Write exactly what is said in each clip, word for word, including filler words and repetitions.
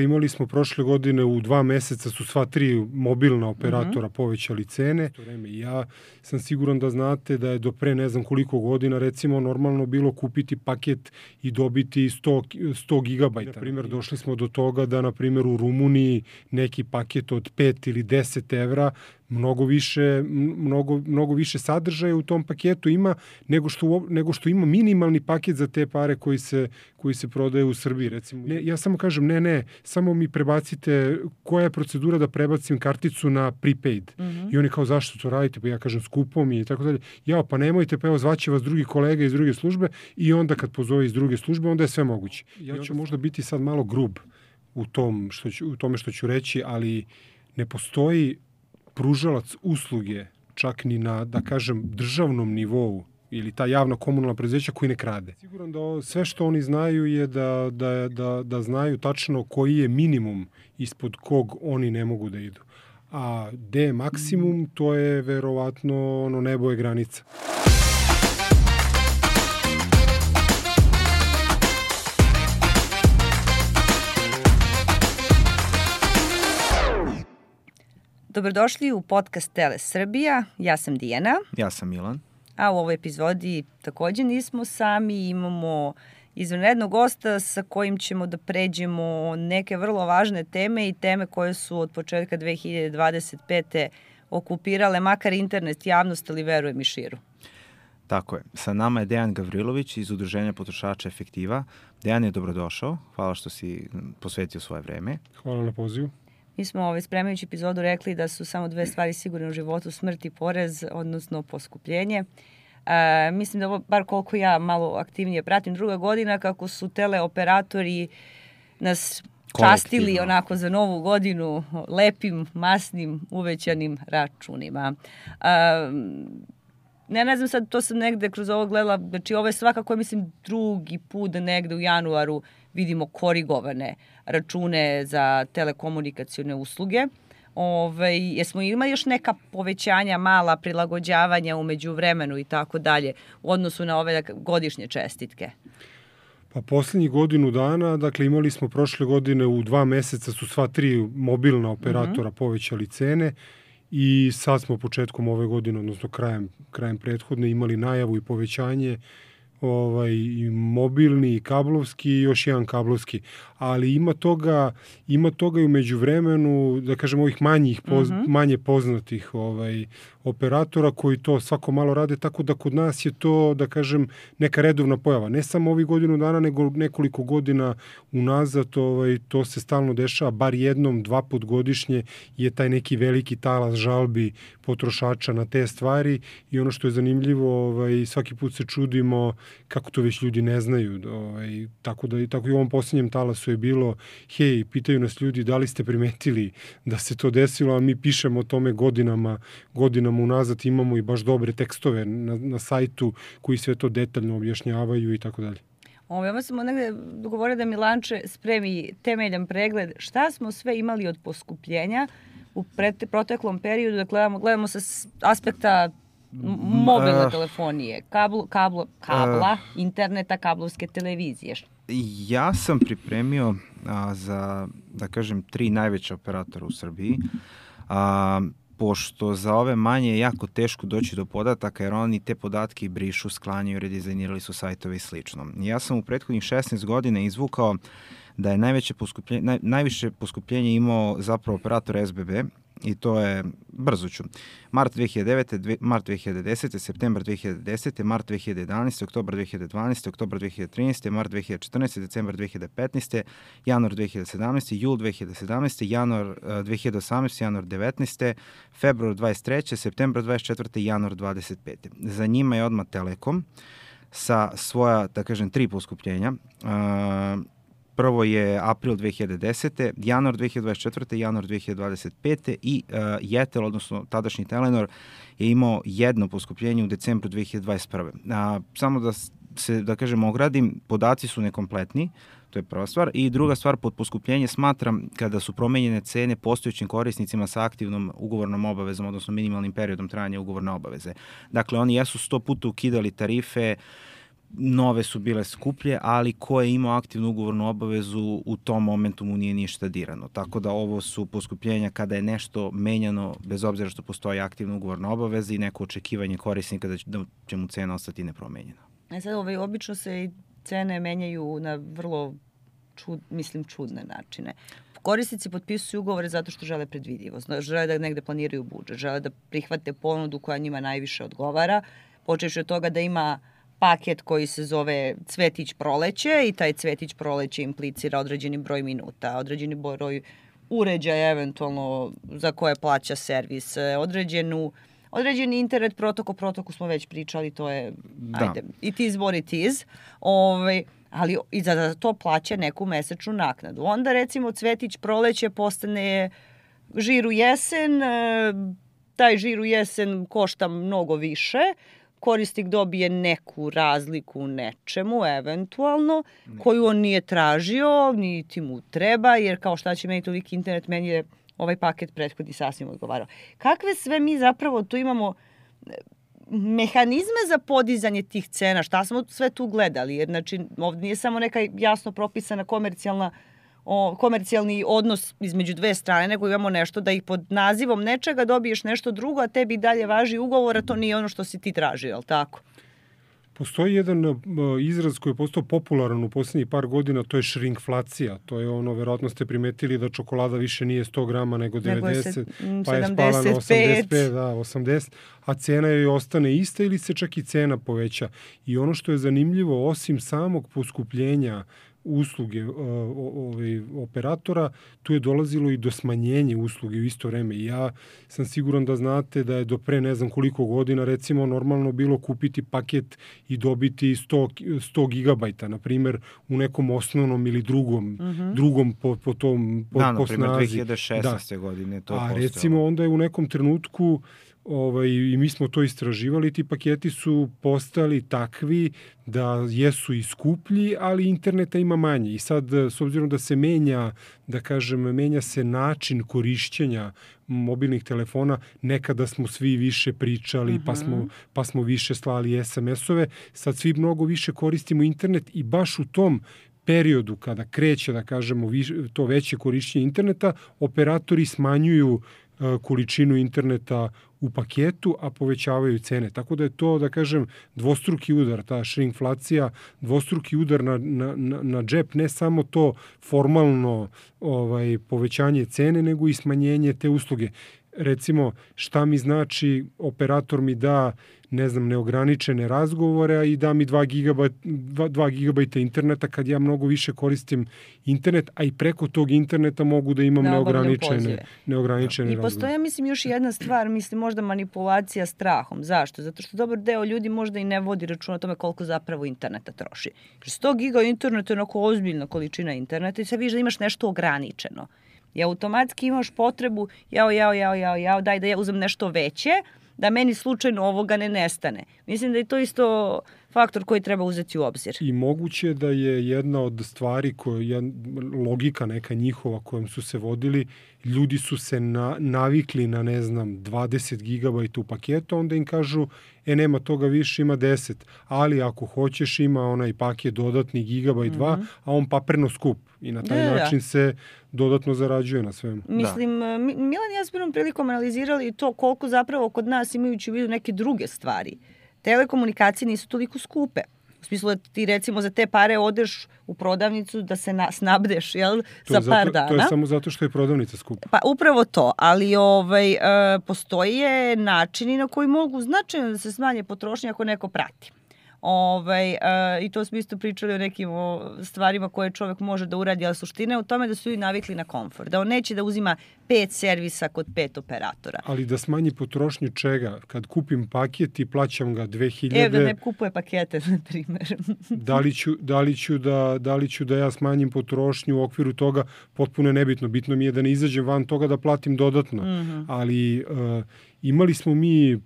Imali smo prošle godine u dva meseca su sva tri mobilna operatora mm-hmm. povećali cene. Ja sam siguran da znate da je do pre ne znam koliko godina recimo normalno bilo kupiti paket i dobiti sto gigabajta. Na primjer, došli smo do toga da na primjer u Rumuniji neki paket od pet ili deset evra mnogo više, mnogo, mnogo više sadržaja u tom paketu ima nego što, nego što ima minimalni paket za te pare koji se, koji se prodaje u Srbiji. Recimo. Ne, ja samo kažem, ne, ne, samo mi prebacite koja je procedura da prebacim karticu na prepaid. Mm-hmm. I oni kao, zašto to radite? Pa ja kažem, skupo mi i tako dalje. Ja, pa nemojte, pa evo, zvaće vas drugi kolega iz druge službe i onda kad pozove iz druge službe, onda je sve moguće. Ja ću možda biti sad malo grub u, tom što ću, u tome što ću reći, ali ne postoji pružalac usluge čak ni na, da kažem, državnom nivou ili ta javna komunalna preduzeća koji ne krade. Siguran da sve što oni znaju je da, da, da, da znaju tačno koji je minimum ispod kog oni ne mogu da idu. A gde je maksimum, to je verovatno ono nebo je granica. Dobrodošli u podcast Tele Srbija. Ja sam Dijana. Ja sam Milan. A u ovoj epizodi takođe nismo sami. Imamo izvanrednog gosta sa kojim ćemo da pređemo neke vrlo važne teme i teme koje su od početka dve hiljade dvadeset pete okupirale makar internet, javnost, ali verujem i širu. Tako je. Sa nama je Dejan Gavrilović iz Udruženja potrošača Efektiva. Dejan je dobrodošao. Hvala što si posvetio svoje vreme. Hvala na pozivu. Mi smo ovaj, spremajući epizodu rekli da su samo dve stvari sigurne u životu, smrt i porez, odnosno poskupljenje. E, mislim da ovo, bar koliko ja malo aktivnije pratim, druga godina kako su teleoperatori nas častili onako za novu godinu lepim, masnim, uvećanim računima. E, ne, ne znam sad, to sam negde kroz ovo gledala, znači ovo je svakako, mislim, drugi put da negde u januaru vidimo korigovane račune za telekomunikacione usluge. Ove, jesmo imali još neka povećanja, mala prilagođavanja umeđu vremenu i tako dalje u odnosu na ove godišnje čestitke? Pa poslednjih godinu dana, dakle imali smo prošle godine u dva meseca su sva tri mobilna operatora mm-hmm. povećali cene i sad smo početkom ove godine, odnosno krajem, krajem prethodne imali najavu i povećanje ovaj, i mobilni i kablovski i još jedan kablovski. Ali ima toga, ima toga i u međuvremenu, da kažem, ovih manjih, poz, mm-hmm. manje poznatih ovaj, operatora koji to svako malo rade, tako da kod nas je to, da kažem, neka redovna pojava. Ne samo ovih godinu dana, nego nekoliko godina unazad, ovaj, to se stalno dešava, bar jednom, dva put godišnje je taj neki veliki talas žalbi potrošača na te stvari i ono što je zanimljivo, ovaj, svaki put se čudimo kako to već ljudi ne znaju. Ovaj, tako da tako i u ovom posljednjem talasu je bilo, hej, pitaju nas ljudi da li ste primetili da se to desilo, a mi pišemo o tome godinama, godinama unazad, imamo i baš dobre tekstove na, na sajtu koji sve to detaljno objašnjavaju i tako dalje. Ovo, ja smo negde dogovorili da Milanče spremi temeljan pregled šta smo sve imali od poskupljenja u pret, proteklom periodu, da gledamo, gledamo sa aspekta mobilne uh, telefonije, kablo, kablo, kabla, uh, interneta, kablovske televizije. Ja sam pripremio a, za, da kažem, tri najveća operatora u Srbiji, a, pošto za ove manje je jako teško doći do podataka, jer oni te podatke brišu, sklanjaju, redizajnirali su sajtove i slično. Ja sam u prethodnih šesnaest godina izvukao da je najveće poskupljenje, naj, najviše poskupljenje imao zapravo operator S B B, i to je, brzo ću, mart dve hiljade devete, dve, mart dve hiljade desete, septembar dve hiljade desete, mart dve hiljade jedanaeste, oktobar dve hiljade dvanaeste, oktobar dve hiljade trinaeste, mart dve hiljade četrnaeste, decembar dve hiljade petnaeste, januar dve hiljade sedamnaeste, jul dve hiljade sedamnaeste, januar dve hiljade osamnaeste, januar devetnaeste, februar dvadeset treće, septembar dvadeset četvrte i januar dvadeset pete. Za njima je odmah Telekom sa svoja, da kažem, tri poskupljenja. Uh, Prvo je april dve hiljade desete, januar dve hiljade dvadeset četvrte, januar dve hiljade dvadeset pete i uh, Jetel, odnosno tadašnji Telenor, je imao jedno poskupljenje u decembru dve hiljade dvadeset prve. Uh, samo da se, da kažem, ogradim, podaci su nekompletni, to je prva stvar. I druga stvar, pod poskupljenje smatram kada su promenjene cene postojećim korisnicima sa aktivnom ugovornom obavezom, odnosno minimalnim periodom trajanja ugovorne obaveze. Dakle, oni jesu sto puta ukidali tarife, nove su bile skuplje, ali ko je imao aktivnu ugovornu obavezu u tom momentu mu nije ništa dirano. Tako da ovo su poskupljenja kada je nešto menjano, bez obzira što postoji aktivna ugovorna obaveza i neko očekivanje korisnika da će, da će mu cena ostati nepromenjena. E sad, ovaj, obično se i cene menjaju na vrlo čud, mislim, čudne načine. Korisnici potpisuju ugovore zato što žele predvidivost, žele da negde planiraju budžet, žele da prihvate ponudu koja njima najviše odgovara, počevši od toga da ima paket koji se zove Cvetić proleće i taj Cvetić proleće implicira određeni broj minuta, određeni broj uređaja eventualno za koje plaća servis, određenu, određeni internet protokol, protokol smo već pričali, to je, da. ajde, it is what it is, ovaj, ali i za to plaća neku mesečnu naknadu. Onda recimo Cvetić proleće postane žir u jesen, taj žir u jesen košta mnogo više, korisnik dobije neku razliku u nečemu, eventualno, koju on nije tražio, niti mu treba, jer kao šta će meni toliki internet, meni je ovaj paket prethodni sasvim odgovarao. Kakve sve mi zapravo tu imamo mehanizme za podizanje tih cena, šta smo sve tu gledali, jer znači ovdje nije samo neka jasno propisana komercijalna o, komercijalni odnos između dve strane, nego imamo nešto da ih pod nazivom nečega dobiješ nešto drugo, a tebi dalje važi ugovor, a to nije ono što si ti tražio, je li tako? Postoji jedan uh, izraz koji je postao popularan u posljednjih par godina, to je šrinkflacija. To je ono, verovatno ste primetili da čokolada više nije sto grama nego devedeset, nego pa je spala na osamdeset pet, da, osamdeset, a cena joj ostane ista ili se čak i cena poveća. I ono što je zanimljivo, osim samog poskupljenja usluge uh, ovaj, operatora, tu je dolazilo i do smanjenja usluge u isto vreme. I ja sam siguran da znate da je do pre ne znam koliko godina recimo normalno bilo kupiti paket i dobiti sto, sto gigabajta, na primjer, u nekom osnovnom ili drugom, mm-hmm. drugom po, po tom po, da, po snazi. Da, na primjer, dve hiljade šesnaeste. Da. godine to A postojalo. recimo onda je u nekom trenutku Ovaj, i mi smo to istraživali, ti paketi su postali takvi da jesu i skuplji, ali interneta ima manje. I sad, s obzirom da se menja, da kažem, menja se način korišćenja mobilnih telefona, nekada smo svi više pričali, uh-huh. pa, smo, pa smo više slali es em es-ove, sad svi mnogo više koristimo internet i baš u tom periodu kada kreće, da kažemo, to veće korišćenje interneta, operatori smanjuju količinu interneta u paketu, a povećavaju cene. Tako da je to, da kažem, dvostruki udar, ta šrinkflacija, dvostruki udar na, na, na džep, ne samo to formalno ovaj, povećanje cene, nego i smanjenje te usluge. Recimo, šta mi znači, operator mi da, ne znam, neograničene razgovore i da mi dva gigabajta interneta kad ja mnogo više koristim internet, a i preko tog interneta mogu da imam neograničene, neograničene I razgovore. I postoje, mislim, još jedna stvar, mislim, možda manipulacija strahom. Zašto? Zato što dobar deo ljudi možda i ne vodi računa o tome koliko zapravo interneta troši. sto giga interneta je onako ozbiljna količina interneta i sad vidiš da imaš nešto ograničeno. I automatski imaš potrebu, jao, jao, jao, jao, jao, daj da ja uzem nešto veće, da meni slučajno ovoga ne nestane. Mislim da je to isto faktor koji treba uzeti u obzir. I moguće da je jedna od stvari, koja, logika neka njihova kojom su se vodili, ljudi su se na, navikli na, ne znam, dvadeset gigabajta u paketu, onda im kažu, e, nema toga više, ima deset. Ali ako hoćeš, ima onaj paket dodatni gigabajt dva, mm-hmm. a on papreno skup. I na taj da, način da. se dodatno zarađuje na svemu. Mislim, da. Milan i ja smo prilikom analizirali to koliko zapravo kod nas, imajući u vidu neke druge stvari, telekomunikacije nisu toliko skupe. U smislu da ti recimo za te pare odeš u prodavnicu da se na, snabdeš, jel, za zato, par dana. To je samo zato što je prodavnica skupa. Pa upravo to, ali ovaj, e, postoje načini na koji mogu značajno da se smanje potrošnje ako neko prati. Ovaj, e, I to smo isto pričali o nekim o stvarima koje čovjek može da uradi, ali suština je u tome da su i navikli na komfort. Da on neće da uzima pet servisa kod pet operatora. Ali da smanji potrošnju čega? Kad kupim paket i plaćam ga dve hiljade... Evo da ne kupuje pakete, na primjer. da, li ću, da, li ću da, da li ću da ja smanjim potrošnju u okviru toga, potpuno je nebitno. Bitno mi je da ne izađem van toga da platim dodatno. Mm-hmm. Ali... Uh, Imali smo mi,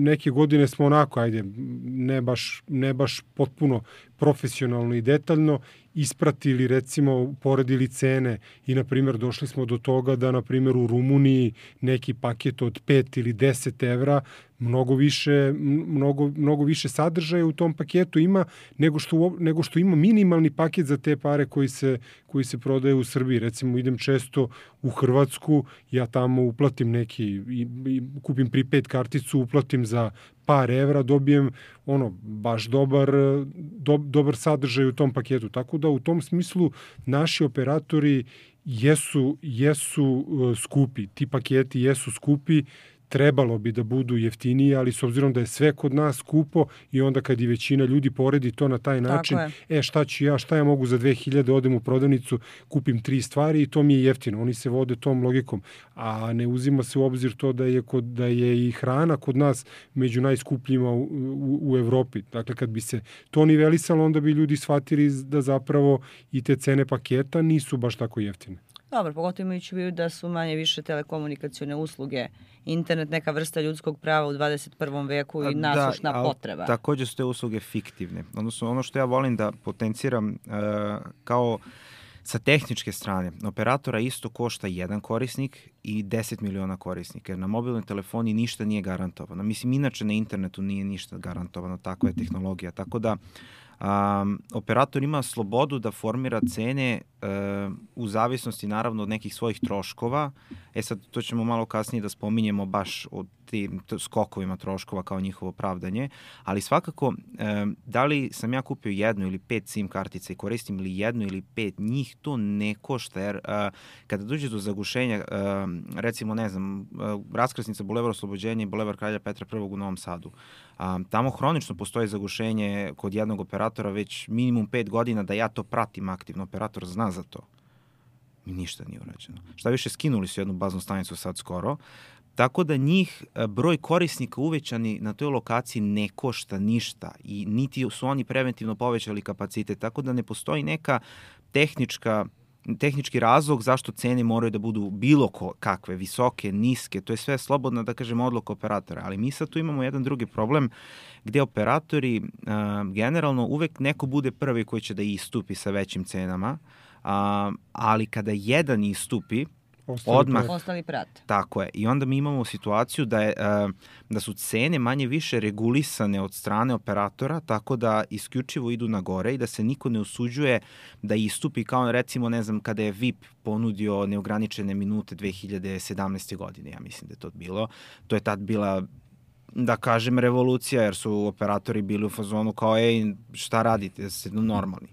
neke godine smo onako, ajde, ne baš, ne baš potpuno profesionalno i detaljno ispratili, recimo, poredili cene i, na primjer, došli smo do toga da, na primjer, u Rumuniji neki paket od pet ili deset evra mnogo više, mnogo, mnogo više sadržaja u tom paketu ima nego što, nego što ima minimalni paket za te pare koji se, koji se prodaje u Srbiji. Recimo, idem često u Hrvatsku, ja tamo uplatim neki, i, i kupim prepaid karticu, uplatim za par evra, dobijem ono, baš dobar, do, dobar sadržaj u tom paketu. Tako da u tom smislu naši operatori jesu, jesu skupi. Ti paketi jesu skupi, trebalo bi da budu jeftiniji, ali s obzirom da je sve kod nas skupo i onda kad i većina ljudi poredi to na taj način, e šta ću ja, šta ja mogu za dve hiljade, odem u prodavnicu, kupim tri stvari i to mi je jeftino. Oni se vode tom logikom, a ne uzima se u obzir to da je, kod, da je i hrana kod nas među najskupljima u, u, u Evropi. Dakle, kad bi se to nivelisalo, onda bi ljudi shvatili da zapravo i te cene paketa nisu baš tako jeftine. Dobro, pogotovo imajući u vidu da su manje više telekomunikacione usluge, internet neka vrsta ljudskog prava u dvadeset prvom veku i nasušna da, potreba. Također su te usluge fiktivne. Odnosno, ono što ja volim da potenciram uh, kao sa tehničke strane, operatora isto košta jedan korisnik i deset miliona korisnika, jer na mobilnoj telefoni ništa nije garantovano. Mislim, inače na internetu nije ništa garantovano, takva je tehnologija. Tako da Um, operator ima slobodu da formira cene uh, u zavisnosti naravno od nekih svojih troškova. E sad, to ćemo malo kasnije da spominjemo baš o tim skokovima troškova kao njihovo pravdanje, ali svakako um, da li sam ja kupio jednu ili pet SIM kartica i koristim ili jednu ili pet, njih to ne košta, jer uh, kada dođe do zagušenja, uh, recimo, ne znam, uh, raskrsnica Bulevar Oslobođenja i Bulevar Kralja Petra prvog u Novom Sadu, um, tamo hronično postoji zagušenje kod jednog operatora već minimum pet godina, da ja to pratim aktivno, operator zna za to. Mi ništa nije urađeno. Šta više, skinuli su jednu baznu stanicu sad skoro, tako da njih broj korisnika uvećani na toj lokaciji ne košta ništa i niti su oni preventivno povećali kapacitet, tako da ne postoji neka tehnička tehnički razlog zašto cene moraju da budu bilo kakve, visoke, niske, to je sve slobodna, da kažem, odluka operatora. Ali mi sad tu imamo jedan drugi problem gde operatori uh, generalno uvek neko bude prvi koji će da istupi sa većim cenama, uh, ali kada jedan istupi, Ostali odmah ostali prate. Tako je. I onda mi imamo situaciju da je uh, da su cene manje više regulisane od strane operatora, tako da isključivo idu na gore i da se niko ne usuđuje da istupi, kao recimo, ne znam, kada je V I P ponudio neograničene minute dve hiljade sedamnaeste. godine, ja mislim da je to bilo. To je tad bila, da kažem, revolucija, jer su operatori bili u fazonu kao, ej, šta radite, ste normalni.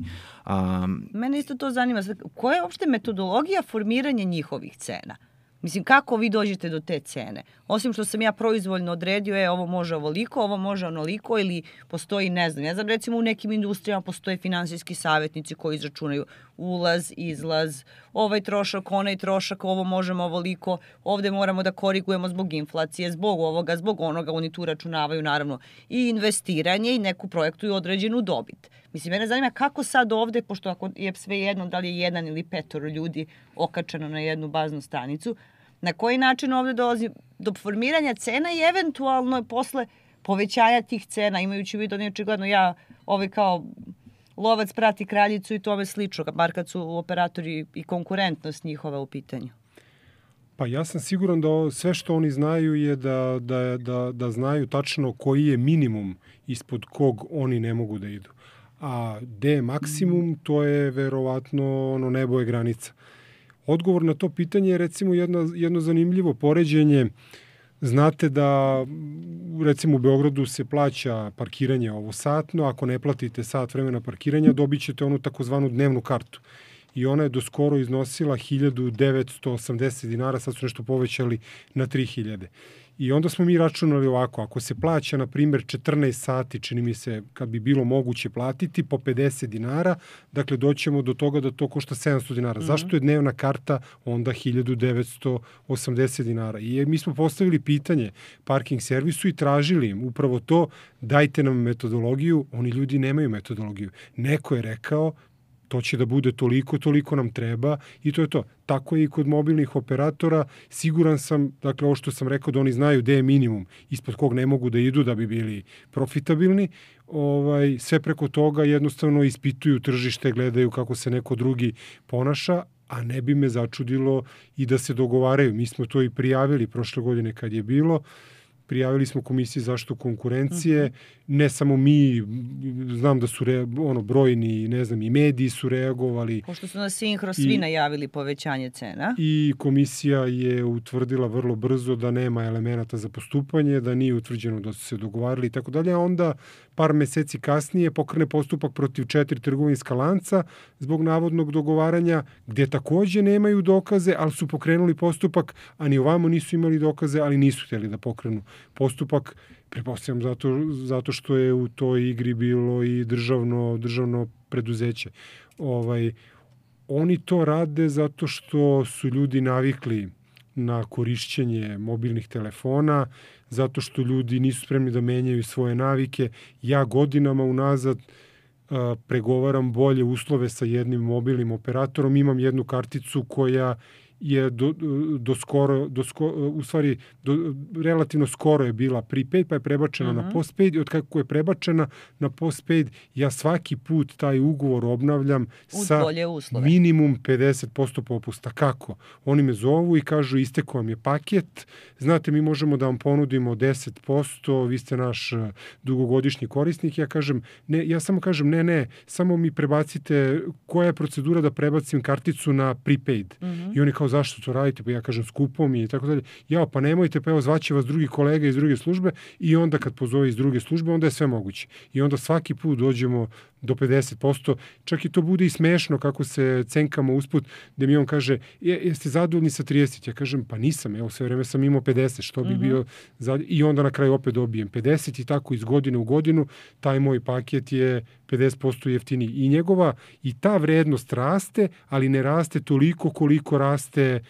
Um, Mene isto to zanima. Koja je uopšte metodologija formiranja njihovih cena? Mislim, kako vi dođete do te cene? Osim što sam ja proizvoljno odredio, je, ovo može ovoliko, ovo može onoliko, ili postoji, ne znam, ne znam, recimo u nekim industrijama postoje finansijski savjetnici koji izračunaju ulaz, izlaz, ovaj trošak, onaj trošak, ovo možemo ovoliko, ovde moramo da korigujemo zbog inflacije, zbog ovoga, zbog onoga, oni tu računavaju naravno i investiranje i neku projektuju određenu dobit. Mislim, mene zanima kako sad ovde, pošto ako je sve jedno, da li je jedan ili petoro ljudi okačeno na jednu baznu stanicu, na koji način ovde dolazi do formiranja cena i eventualno posle povećanja tih cena, imajući u vidu, oni očigledno ja ovaj kao lovac prati kraljicu i tome slično, bar kad su operatori i konkurentnost njihova u pitanju. Pa ja sam siguran da sve što oni znaju je da, da, da, da znaju tačno koji je minimum ispod kog oni ne mogu da idu. A gde je maksimum, to je verovatno ono, nebo je granica. Odgovor na to pitanje je recimo jedno, jedno zanimljivo poređenje. Znate da recimo u Beogradu se plaća parkiranje ovo satno, ako ne platite sat vremena parkiranja dobit ćete onu takozvanu dnevnu kartu. I ona je do skoro iznosila hiljadu devetsto osamdeset dinara, sad su nešto povećali na tri hiljade. I onda smo mi računali ovako, ako se plaća, na primjer, četrnaest sati, čini mi se, kad bi bilo moguće platiti, po pedeset dinara, dakle, doćemo do toga da to košta sedamsto dinara. Mm-hmm. Zašto je dnevna karta onda hiljadu devetsto osamdeset dinara? I mi smo postavili pitanje parking servisu i tražili im upravo to, dajte nam metodologiju, oni ljudi nemaju metodologiju. Neko je rekao, to će da bude toliko, toliko nam treba i to je to. Tako je i kod mobilnih operatora. Siguran sam, dakle, ovo što sam rekao, da oni znaju gde je minimum ispod kog ne mogu da idu da bi bili profitabilni. Ovaj, sve preko toga jednostavno ispituju tržište, gledaju kako se neko drugi ponaša, a ne bi me začudilo i da se dogovaraju. Mi smo to i prijavili prošle godine kad je bilo. prijavili smo Komisiji zaštitu konkurencije, uh-huh. ne samo mi, znam da su re, ono, brojni, ne znam, i mediji su reagovali. Pošto su na Sinhro svi I, najavili povećanje cena. I komisija je utvrdila vrlo brzo da nema elemenata za postupanje, da nije utvrđeno da su se dogovarali i tako dalje, a onda par meseci kasnije pokrene postupak protiv četiri trgovinska lanca zbog navodnog dogovaranja, gdje takođe nemaju dokaze, ali su pokrenuli postupak, a ni ovamo nisu imali dokaze, ali nisu htjeli da pokrenu postupak. Pretpostavljam zato, zato što je u toj igri bilo i državno, državno preduzeće. Ovaj, oni to rade zato što su ljudi navikli na korišćenje mobilnih telefona, zato što ljudi nisu spremni da menjaju svoje navike. Ja godinama unazad uh, pregovaram bolje uslove sa jednim mobilnim operatorom. Imam jednu karticu koja je do, do skoro, do skoro, u stvari do, relativno skoro je bila prepaid, pa je prebačena uh-huh. na postpaid i od kako je prebačena na postpaid, ja svaki put taj ugovor obnavljam uz sa minimum pedeset posto popusta. Kako? Oni me zovu i kažu istekao vam je paket, znate mi možemo da vam ponudimo deset posto, vi ste naš dugogodišnji korisnik. Ja kažem, ne, ja samo kažem ne, ne, samo mi prebacite koja je procedura da prebacim karticu na prepaid. Uh-huh. I oni kao zašto to radite? Pa ja kažem skupo mi i tako dalje. Ja, pa nemojte, pa evo zvaće vas drugi kolega iz druge službe i onda kad pozove iz druge službe, onda je sve moguće. I onda svaki put dođemo do pedeset posto. Čak i to bude i smešno kako se cenkamo usput, gde mi on kaže, je, jeste zadovoljni sa trideset? Ja kažem, pa nisam, evo sve vreme sam imao pedeset, što bi uh-huh. bio zadovoljni? I onda na kraju opet dobijem pedeset i tako iz godine u godinu taj moj paket je pedeset posto jeftiniji. I njegova, i ta vrednost raste, ali ne raste toliko koliko raste,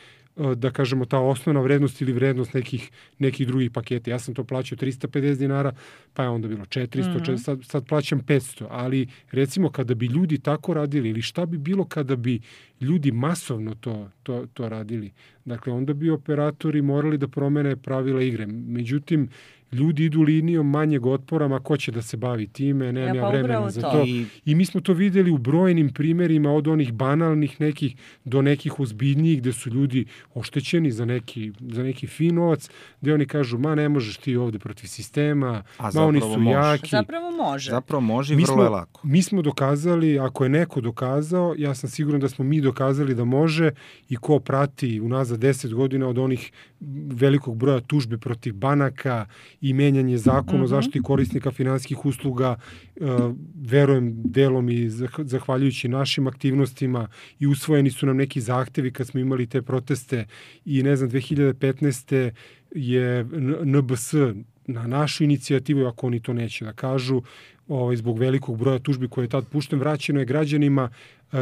da kažemo, ta osnovna vrednost ili vrednost nekih, nekih drugih paketa. Ja sam to plaćao trista pedeset dinara, pa je onda bilo četiristo, mm-hmm. četiristo sad, sad plaćam petsto. Ali recimo kada bi ljudi tako radili ili šta bi bilo kada bi ljudi masovno to, to, to radili. Dakle, onda bi operatori morali da promene pravila igre. Međutim, ljudi idu linijom manjeg otpora, ma ko će da se bavi time, nemam ja, pa ja vremena za to. to. I... I mi smo to videli u brojnim primjerima od onih banalnih nekih do nekih ozbiljnijih gde su ljudi oštećeni za neki, za neki fin novac, gde oni kažu, ma ne možeš ti ovde protiv sistema, a ma oni su može. jaki. Zapravo može. Zapravo može i vrlo je lako. Mi smo dokazali, ako je neko dokazao, ja sam siguran da smo mi dokazali da može i ko prati unazad deset godina od onih velikog broja tužbi protiv banaka i menjanje zakona mm-hmm. o zaštiti korisnika finansijskih usluga, uh, verujem delom i zahvaljujući našim aktivnostima i usvojeni su nam neki zahtevi kad smo imali te proteste i ne znam, dve hiljade petnaeste je N B S na našu inicijativu, ako oni to neće da kažu, ovaj, zbog velikog broja tužbi koje je tad pušten, vraćeno je građanima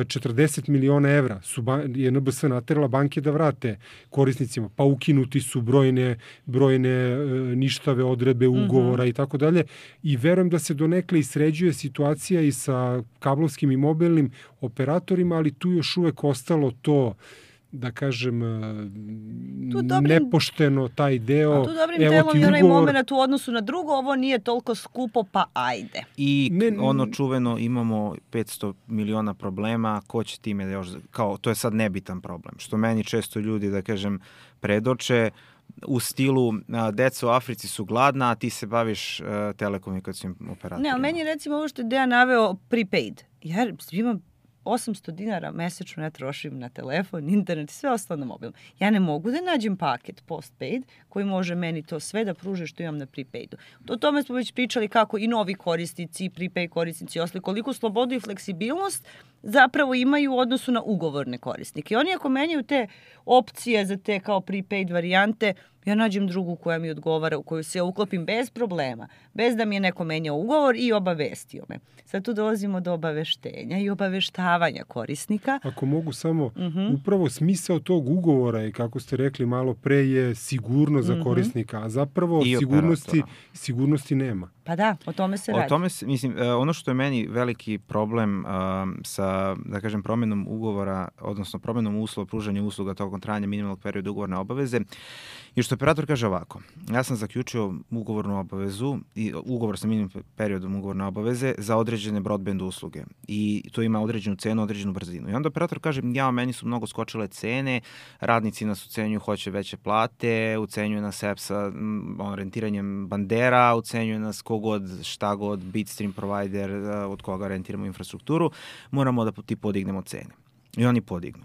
četrdeset miliona evra su je N B S naterala banke da vrate korisnicima, pa ukinuti su brojne, brojne ništave odredbe ugovora mm-hmm. i tako dalje. I verujem da se donekle i sređuje situacija i sa kablovskim i mobilnim operatorima, ali tu još uvek ostalo to, da kažem, dobrim, nepošteno taj deo. A tu dobrim Evo delom i onaj ugovor... moment u odnosu na drugo, ovo nije toliko skupo, pa ajde. I ne, ono čuveno, imamo petsto miliona problema, ko će time još, kao, to je sad nebitan problem, što meni često ljudi, da kažem, predoče, u stilu deca u Africi su gladna, a ti se baviš uh, telekomunikacijom operatorima. Ne, ali meni recimo ovo što je Dejan naveo prepaid, jer imam osamsto dinara mesečno ja trošim na telefon, internet i sve ostalo na mobilnom. Ja ne mogu da nađem paket postpaid koji može meni to sve da pruže što imam na prepaidu. O tome smo već pričali kako i novi korisnici, prepaid korisnici i ostali, koliko slobodu i fleksibilnost zapravo imaju u odnosu na ugovorne korisnike. I oni ako menjaju te opcije za te kao prepaid varijante, ja nađem drugu koja mi odgovara, u koju se ja uklopim bez problema, bez da mi je neko menjao ugovor i obavestio me. Sad tu dolazimo do obaveštenja i obaveštavanja korisnika. Ako mogu samo, uh-huh. upravo smisao tog ugovora je, kako ste rekli malo pre, je sigurnost za uh-huh. korisnika, a zapravo I sigurnosti, sigurnosti nema. Pa da, o tome se o radi. Tome se, mislim, ono što je meni veliki problem um, sa, da kažem, promjenom ugovora, odnosno promjenom uslova, pružanja usluga tokom trajanja minimalnog perioda ugovorne obaveze, je što što operator kaže ovako, ja sam zaključio ugovornu obavezu, i ugovor sa minimum periodom ugovorne obaveze za određene broadband usluge i to ima određenu cenu, određenu brzinu. I onda operator kaže, ja, meni su mnogo skočile cene, radnici nas ucenjuju, hoće veće plate, ucenjuje nas E P S a on, rentiranjem bandera, ucenjuje nas kogod, šta god, bitstream provider, od koga rentiramo infrastrukturu, moramo da ti podignemo cene. I oni podignu.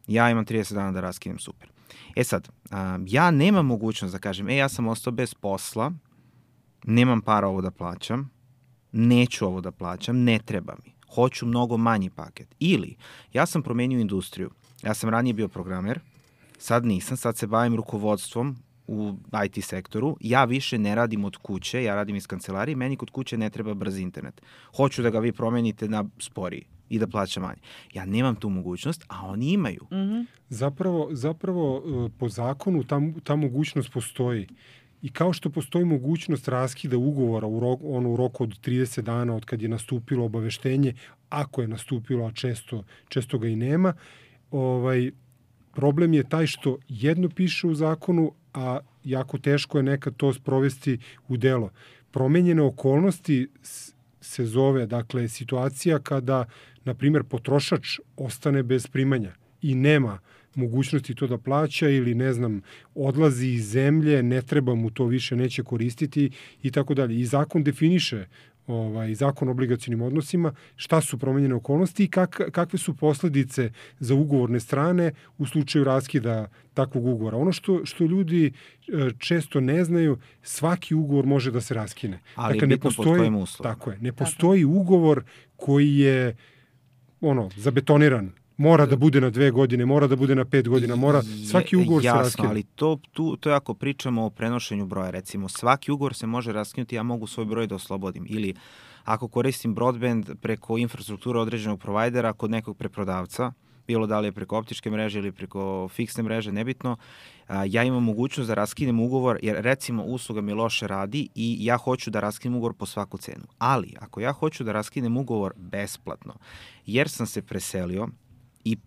Ja imam trideset dana da raskinem, super. E sad, a, ja nemam mogućnost da kažem, e, ja sam ostao bez posla, nemam para ovo da plaćam, neću ovo da plaćam, ne treba mi, hoću mnogo manji paket. Ili, ja sam promenio industriju, ja sam ranije bio programer, sad nisam, sad se bavim rukovodstvom u I T sektoru, ja više ne radim od kuće, ja radim iz kancelarije, meni kod kuće ne treba brz internet. Hoću da ga vi promenite na sporiji i da plaća manje. Ja nemam tu mogućnost, a oni imaju. Mm-hmm. Zapravo, zapravo po zakonu ta, ta mogućnost postoji. I kao što postoji mogućnost raskida ugovora u, rok, ono, u roku od trideset dana od kad je nastupilo obaveštenje, ako je nastupilo, a često, često ga i nema, ovaj, problem je taj što jedno piše u zakonu, a jako teško je nekad to sprovesti u delo. Promenjene okolnosti se zove, dakle, situacija kada, na primjer, potrošač ostane bez primanja i nema mogućnosti to da plaća ili, ne znam, odlazi iz zemlje, ne treba mu to više, neće koristiti i tako dalje. I zakon definiše, ovaj, zakon o obligacionim odnosima, šta su promenjene okolnosti i kak, kakve su posledice za ugovorne strane u slučaju raskida takvog ugovora. Ono što, što ljudi često ne znaju, svaki ugovor može da se raskine. Ali dakle, ne postoji, tako je, ne postoji tako. ugovor koji je ono, zabetoniran. Mora da bude na dve godine, mora da bude na pet godina, mora, svaki ugovor Jasno, se raskine. Jasno, ali to, tu, to je ako pričamo o prenošenju broja, recimo, svaki ugovor se može raskinuti, ja mogu svoj broj da oslobodim. Ili ako koristim broadband preko infrastrukture određenog provajdera kod nekog preprodavca, bilo da li je preko optičke mreže ili preko fiksne mreže, nebitno, ja imam mogućnost da raskinem ugovor, jer recimo usluga mi loše radi i ja hoću da raskinem ugovor po svaku cenu. Ali ako ja hoću da raskinem ugovor besplatno, jer sam se preselio, i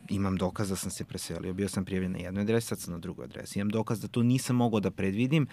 imam dokaz da sam se preselio, bio sam prijavljen na jednoj adresi, sad sam na drugoj adresi, imam dokaz da to nisam mogao da predvidim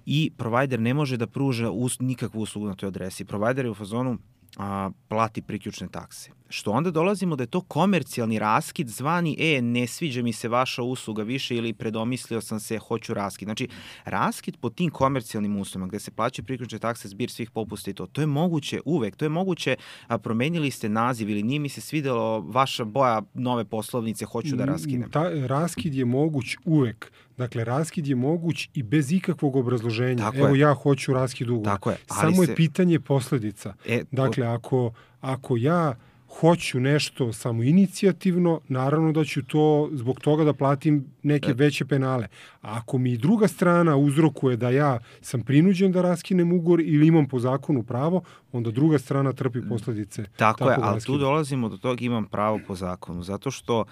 i provider ne može da pruža us, nikakvu uslugu na toj adresi. Provider je u fazonu a, plati priključne takse. Što onda dolazimo da je to komercijalni raskid zvani, e, ne sviđa mi se vaša usluga više ili predomislio sam se, hoću raskid. Znači, raskid po tim komercijalnim uslovima gde se plaćaju priključne takse, zbir svih popusta i to, to je moguće uvek, to je moguće, a, promenili ste naziv ili nije mi se svidelo vaša boja nove poslovnice, hoću da raskinem. Ta, raskid je moguć uvek. Dakle, raskid je moguć i bez ikakvog obrazloženja. Tako Evo, je. ja hoću raskid ugovora. Tako je. Ali Samo se... je pitanje posledica. E, dakle, ako, ako ja hoću nešto samo inicijativno, naravno da ću to zbog toga da platim neke veće penale. A ako mi druga strana uzrokuje da ja sam prinuđen da raskinem ugovor ili imam po zakonu pravo, onda druga strana trpi posledice. Tako je, ali tu dolazimo do toga imam pravo po zakonu, zato što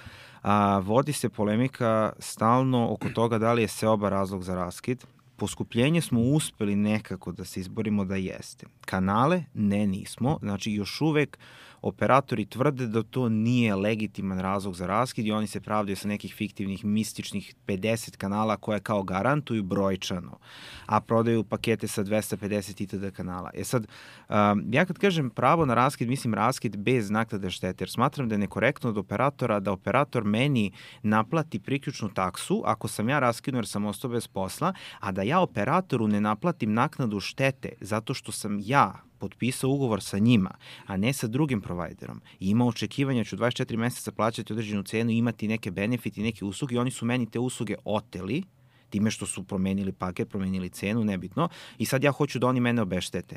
a, vodi se polemika stalno oko toga da li je seoba razlog za raskid. Poskupljenje smo uspeli nekako da se izborimo da jeste. Kanale ne nismo, znači još uvek operatori tvrde da to nije legitiman razlog za raskid i oni se pravdaju sa nekih fiktivnih, mističnih pedeset kanala koje kao garantuju brojčano, a prodaju pakete sa dvesta pedeset itd. Kanala. E sad, um, ja kad kažem pravo na raskid, mislim raskid bez naknade štete, jer smatram da je nekorektno od operatora da operator meni naplati priključnu taksu ako sam ja raskinuo jer sam ostao bez posla, a da ja operatoru ne naplatim naknadu štete zato što sam ja potpisao ugovor sa njima, a ne sa drugim providerom i ima očekivanja ću dvadeset četiri meseca plaćati određenu cenu i imati neke benefiti, neke usluge i oni su meni te usluge oteli time što su promenili paket, promenili cenu, nebitno, i sad ja hoću da oni mene obeštete.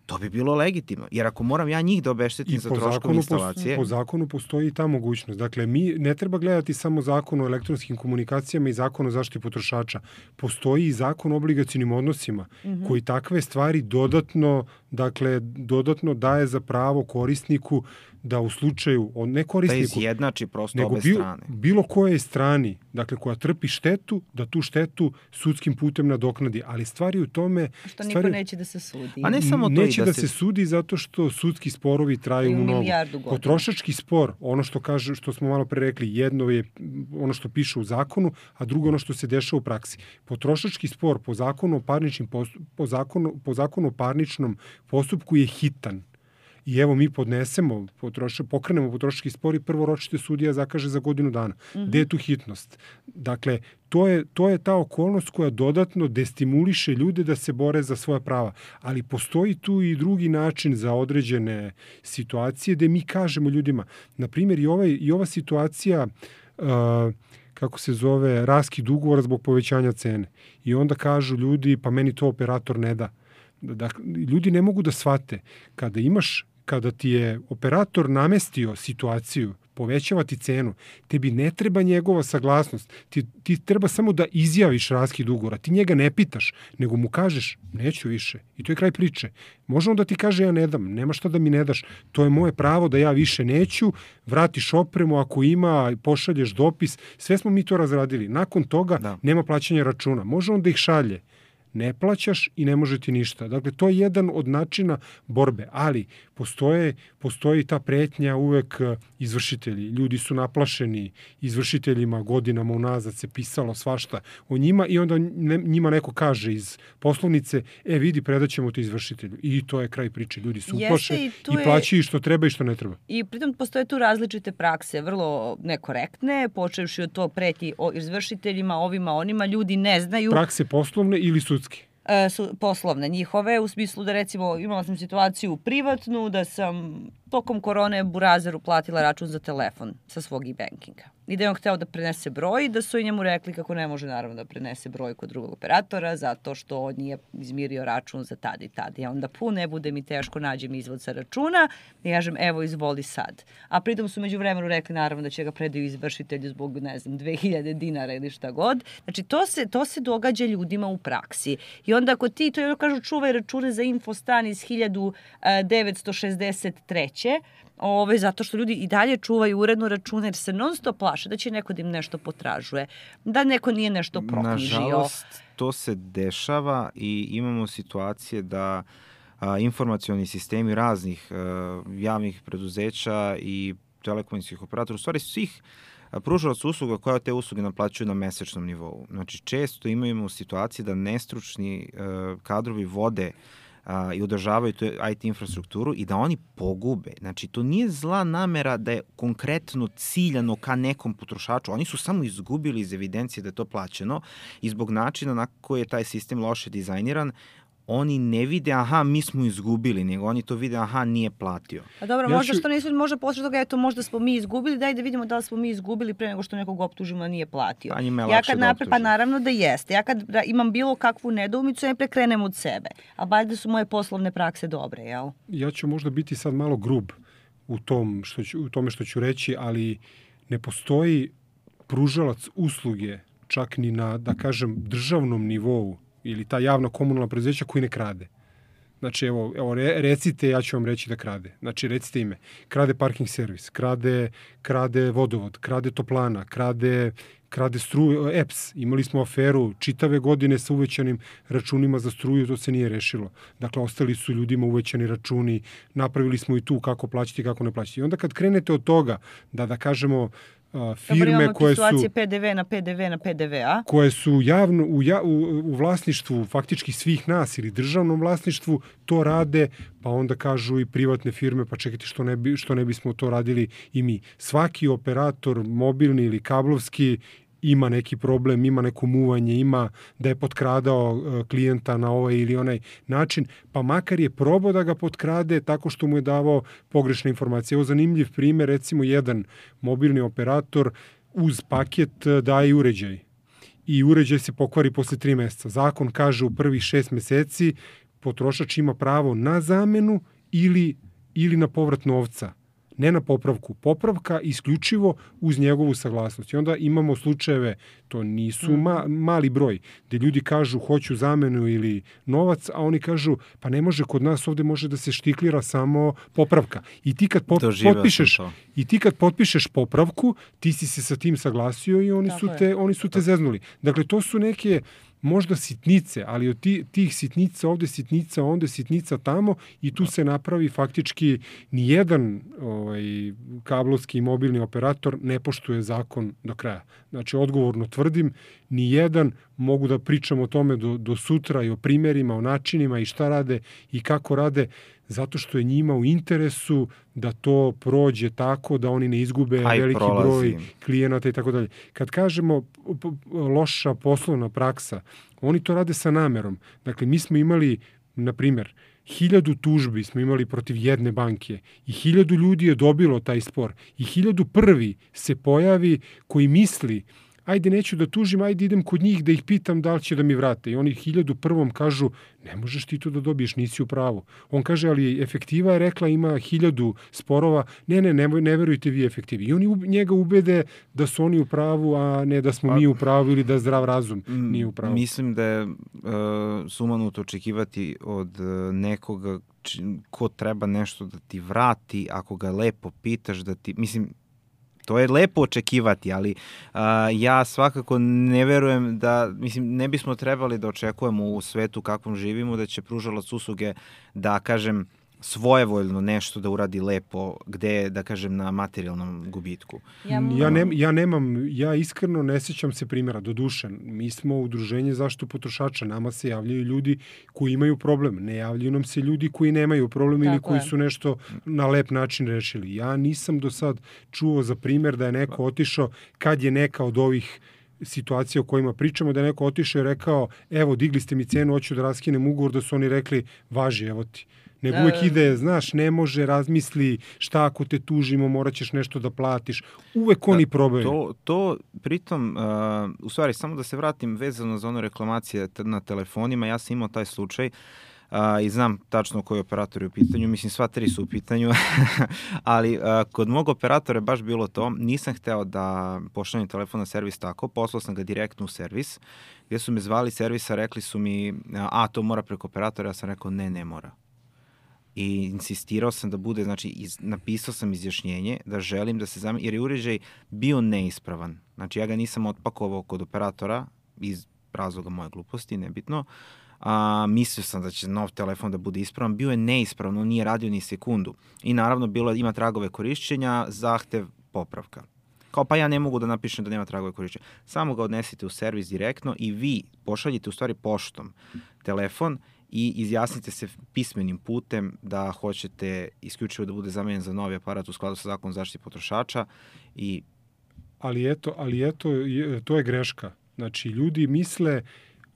To bi bilo legitimno, jer ako moram ja njih da obeštetim za troškove instalacije... I po zakonu postoji ta mogućnost. Dakle, mi ne treba gledati samo zakon o elektronskim komunikacijama i zakon o zaštiti potrošača. Postoji i zakon o obligacionim odnosima, mm-hmm. koji takve stvari dodatno dakle, dodatno daje za pravo korisniku da u slučaju, ne korisniku, da izjednači prosto nego obe bilo, strane. bilo koje strani, dakle, koja trpi štetu, da tu štetu sudskim putem nadoknadi. Ali stvari u tome... Što niko stvari, neće da se sudi. A ne samo to neće i da, da se... se sudi zato što sudski sporovi traju mnogo. Potrošački spor, ono što kaže, što smo malo pre rekli, jedno je ono što piše u zakonu, a drugo ono što se dešava u praksi. Potrošački spor po zakonu o parničnim postup, po zakonu, po zakonu o parničnom postupku je hitan. I evo mi podnesemo, potroša, pokrenemo potrošački spor i prvo ročište sudija zakaže za godinu dana. Mm-hmm. Gde je tu hitnost? Dakle, to je, to je ta okolnost koja dodatno destimuliše ljude da se bore za svoja prava. Ali postoji tu i drugi način za određene situacije gde mi kažemo ljudima, na primjer i, ovaj, i ova situacija... Uh, kako se zove, raskid ugovora zbog povećanja cene. I onda kažu ljudi, pa meni to operator ne da. Dakle, ljudi ne mogu da shvate. Kada imaš, kada ti je operator namestio situaciju, povećava ti cenu, tebi ne treba njegova saglasnost. Ti, ti treba samo da izjaviš raskid ugovora. Ti njega ne pitaš, nego mu kažeš, neću više. I to je kraj priče. Može on da ti kaže, ja ne dam, nema šta da mi ne daš. To je moje pravo da ja više neću, vratiš opremu ako ima, pošalješ dopis. Sve smo mi to razradili. Nakon toga da. Nema plaćanja računa. Može on da ih šalje. Ne plaćaš i ne može ti ništa. Dakle, to je jedan od načina borbe, ali postoje, postoji ta pretnja uvek izvršitelji. Ljudi su naplašeni izvršiteljima, godinama unazad se pisalo svašta o njima i onda njima neko kaže iz poslovnice, e vidi, predaćemo te izvršitelju. I to je kraj priče. Ljudi su uplaše i, i plaćaju što treba i što ne treba. I pritom postoje tu različite prakse, vrlo nekorektne, počevši od to preti o izvršiteljima, ovima, onima, ljudi ne znaju. Prakse poslovne ili sudske? Su poslovne njihove, u smislu da recimo imala sam situaciju privatnu da sam tokom korone Burazeru platila račun za telefon sa svog e-bankinga. I da je on hteo da prenese broj, da su i njemu rekli kako ne može naravno da prenese broj kod drugog operatora zato što on nije izmirio račun za tad i tad. I onda pu, ne bude mi teško, nađem izvod sa računa i kažem evo izvoli sad. A pritom su među vremenu rekli naravno da će ga predaju izvršitelju zbog ne znam dve hiljade dinara ili šta god. Znači to se, to se događa ljudima u praksi. I onda ako ti, to je kažu čuvaj račune za Infostan iz hiljadu devetsto šezdeset treće Ove, zato što ljudi i dalje čuvaju uredno račune jer se non stop plaše da će neko da im nešto potražuje, da neko nije nešto proknjižio. Nažalost, to se dešava i imamo situacije da a, informacioni sistemi raznih a, javnih preduzeća i telekomunikacijskih operatora, u stvari svih pružalaca usluga koja te usluge naplaćuju na mesečnom nivou. Znači, često imamo situacije da nestručni a, kadrovi vode Uh, i održavaju tu I T infrastrukturu i da oni pogube. Znači, to nije zla namera da je konkretno ciljano ka nekom potrošaču. Oni su samo izgubili iz evidencije da je to plaćeno i zbog načina na koji je taj sistem loše dizajniran, oni ne vide, aha, mi smo izgubili, nego oni to vide, aha, nije platio. A dobro, ja možda ću... što nisu, možda posle toga, eto, možda smo mi izgubili, daj da vidimo da li smo mi izgubili pre nego što nekog optužimo da nije platio. Pa njima je ja lakše kad da napre, Pa naravno da jeste. Ja kad imam bilo kakvu nedoumicu, ja prekrenem od sebe. A valjda su moje poslovne prakse dobre, jel? Ja ću možda biti sad malo grub u, tom što ću, u tome što ću reći, ali ne postoji pružalac usluge, čak ni na, da kažem, državnom nivou, ili ta javna komunalna preduzeća koji ne krade. Znači, evo, evo recite, ja ću vam reći da krade. Znači, recite ime. Krade parking servis, krade, krade vodovod, krade toplana, krade, krade struju, E P S. Imali smo aferu čitave godine sa uvećanim računima za struju, to se nije rešilo. Dakle, ostali su ljudima uvećani računi, napravili smo i tu kako plaćati, kako ne plaćati. I onda kad krenete od toga, da, da kažemo, Uh, firme Dobar, koje su P D V na P D V na P D V, a? koje su javno u, ja, u, u vlasništvu faktički svih nas ili državnom vlasništvu, to rade, pa onda kažu i privatne firme, pa čekajte što ne, bi, što ne bismo to radili i mi. Svaki operator, mobilni ili kablovski, ima neki problem, ima neko muvanje, ima da je potkradao klijenta na ovaj ili onaj način, pa makar je probao da ga potkrade tako što mu je davao pogrešne informacije. Evo zanimljiv primjer, recimo jedan mobilni operator uz paket daje uređaj i uređaj se pokvari posle tri meseca. Zakon kaže u prvih šest meseci potrošač ima pravo na zamenu ili, ili na povrat novca. ne na popravku. Popravka isključivo uz njegovu saglasnost. I onda imamo slučajeve, to nisu ma, mali broj, gde ljudi kažu hoću zamenu ili novac, a oni kažu pa ne može kod nas, ovde može da se štiklira samo popravka. I ti kad pop, potpišeš i ti kad potpišeš popravku, ti si se sa tim saglasio i oni Tako su te je. oni su te zeznuli. Dakle, to su neke možda sitnice, ali od ti, tih sitnica ovde sitnica, onda sitnica tamo i tu se napravi faktički nijedan ovaj, kablovski i mobilni operator ne poštuje zakon do kraja. Znači, odgovorno tvrdim, nijedan, mogu da pričam o tome do, do sutra i o primjerima, o načinima i šta rade i kako rade, zato što je njima u interesu da to prođe tako da oni ne izgube Aj, veliki prolazi. broj klijenata i tako dalje. Kad kažemo loša poslovna praksa, oni to rade sa namerom. Dakle, mi smo imali, na primjer, hiljadu tužbi smo imali protiv jedne banke i hiljadu ljudi je dobilo taj spor i hiljadu prvi se pojavi koji misli ajde neću da tužim, ajde idem kod njih da ih pitam da li će da mi vrate. I oni hiljadu prvom kažu, ne možeš ti to da dobiješ, nisi u pravu. On kaže, ali efektiva je rekla ima hiljadu sporova, ne, ne, ne, ne verujte vi efektivi. I oni njega ubede da su oni u pravu, a ne da smo pa, mi u pravu ili da zdrav razum nije u pravu. Mislim da je uh, sumanuto očekivati od uh, nekoga či, ko treba nešto da ti vrati, ako ga lepo pitaš da ti, mislim, to je lepo očekivati, ali uh, ja svakako ne verujem da, mislim, ne bismo trebali da očekujemo u svetu kakvom živimo, da će pružalac usluge da, kažem, svojevoljno nešto da uradi lepo, gde, da kažem, na materijalnom gubitku. Ja, ja, ne, ja nemam, ja iskreno ne sjećam se primjera, do duše. Mi smo udruženje zaštitu potrošača, nama se javljaju ljudi koji imaju problem, ne javljaju nam se ljudi koji nemaju problem Tako ili koji je. su nešto na lep način rešili. Ja nisam do sad čuo za primjer da je neko otišao kad je neka od ovih situacija o kojima pričamo, da je neko otišao i rekao, evo, digli ste mi cenu, hoću da raskinem ugovor, da su oni rekli, važi, evo ti. Nego da, uvek ide, znaš, ne može, razmisli, šta ako te tužimo, morat ćeš nešto da platiš. Uvek oni probaju. To, to pritom, uh, u stvari, samo da se vratim vezano za ono reklamacije na telefonima, ja sam imao taj slučaj uh, i znam tačno koji operator je u pitanju, mislim sva tri su u pitanju, ali uh, kod mog operatora je baš bilo to, nisam hteo da pošaljem telefon na servis tako, poslao sam ga direktno u servis, gdje su me zvali servisa, rekli su mi, a to mora preko operatora, ja sam rekao ne, ne mora. I insistirao sam da bude, znači iz, napisao sam izjašnjenje da želim da se zameni, jer je uređaj bio neispravan. Znači ja ga nisam otpakovao kod operatora iz razloga moje gluposti, nebitno. A, mislio sam da će nov telefon da bude ispravan, bio je neispravno, nije radio ni sekundu. I naravno bilo ima tragove korišćenja, zahtev popravka. Kao pa ja ne mogu da napišem da nema tragove korišćenja. Samo ga odnesite u servis direktno i vi pošaljite u stvari poštom telefon i izjasnite se pismenim putem da hoćete isključivo da bude zamenjen za novi aparat u skladu sa zakonom zaštite potrošača. I... Ali eto, ali eto, to je greška. Znači, ljudi misle,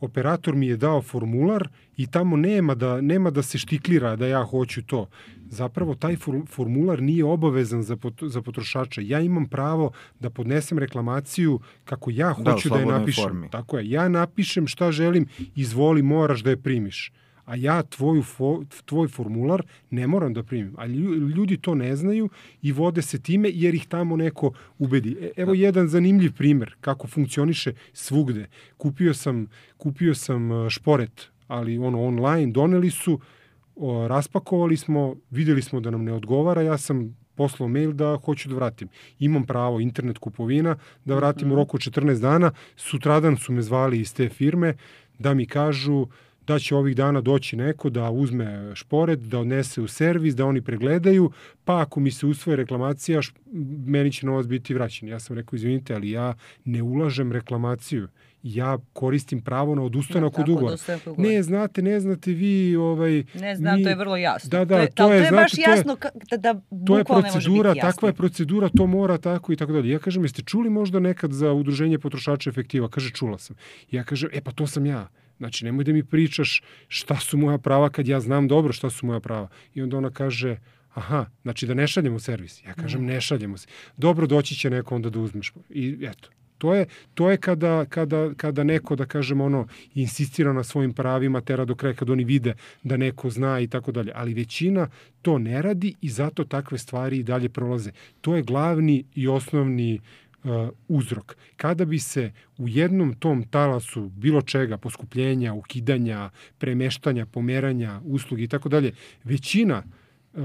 operator mi je dao formular i tamo nema da, nema da se štiklira da ja hoću to. Zapravo, taj formular nije obavezan za, pot, za potrošača. Ja imam pravo da podnesem reklamaciju kako ja hoću da, da je napišem. Formi. Tako je, ja napišem šta želim, izvoli, moraš da je primiš. A ja tvoju fo, tvoj formular ne moram da primim. A ljudi to ne znaju i vode se time jer ih tamo neko ubedi. Evo jedan zanimljiv primjer kako funkcioniše svugde. Kupio sam, kupio sam šporet, ali ono online, doneli su, o, raspakovali smo, vidjeli smo da nam ne odgovara, ja sam poslao mail da hoću da vratim. Imam pravo, internet kupovina, da vratim u roku četrnaest dana. Sutradan su me zvali iz te firme da mi kažu da će ovih dana doći neko da uzme šporet, da odnese u servis, da oni pregledaju, pa ako mi se usvoje reklamacija, meni će novac biti vraćen. Ja sam rekao, izvinite, ali ja ne ulažem reklamaciju. Ja koristim pravo na odustanak od ugovora. Ne, znate, ne znate vi... Ovaj, ne znam, mi, to je vrlo jasno. Da, da, to je, to je, to je znate, baš jasno da, da to je procedura, takva je procedura, to mora tako i tako dalje. Ja kažem, jeste čuli možda nekad za udruženje potrošača efektiva? Kaže, čula sam. Ja kažem, e pa to sam ja. Znači, nemoj da mi pričaš šta su moja prava kad ja znam dobro šta su moja prava. I onda ona kaže, aha, znači da ne šaljemo servis. Ja kažem, ne šaljemo se. Dobro, doći će neko onda da uzmeš. I eto, To je, to je kada, kada, kada neko, da kažem, ono, insistira na svojim pravima, tera do kraja, kada oni vide da neko zna i tako dalje. Ali većina to ne radi i zato takve stvari i dalje prolaze. To je glavni i osnovni uh, uzrok. Kada bi se u jednom tom talasu bilo čega, poskupljenja, ukidanja, premeštanja, pomeranja, usluge i tako dalje, većina uh,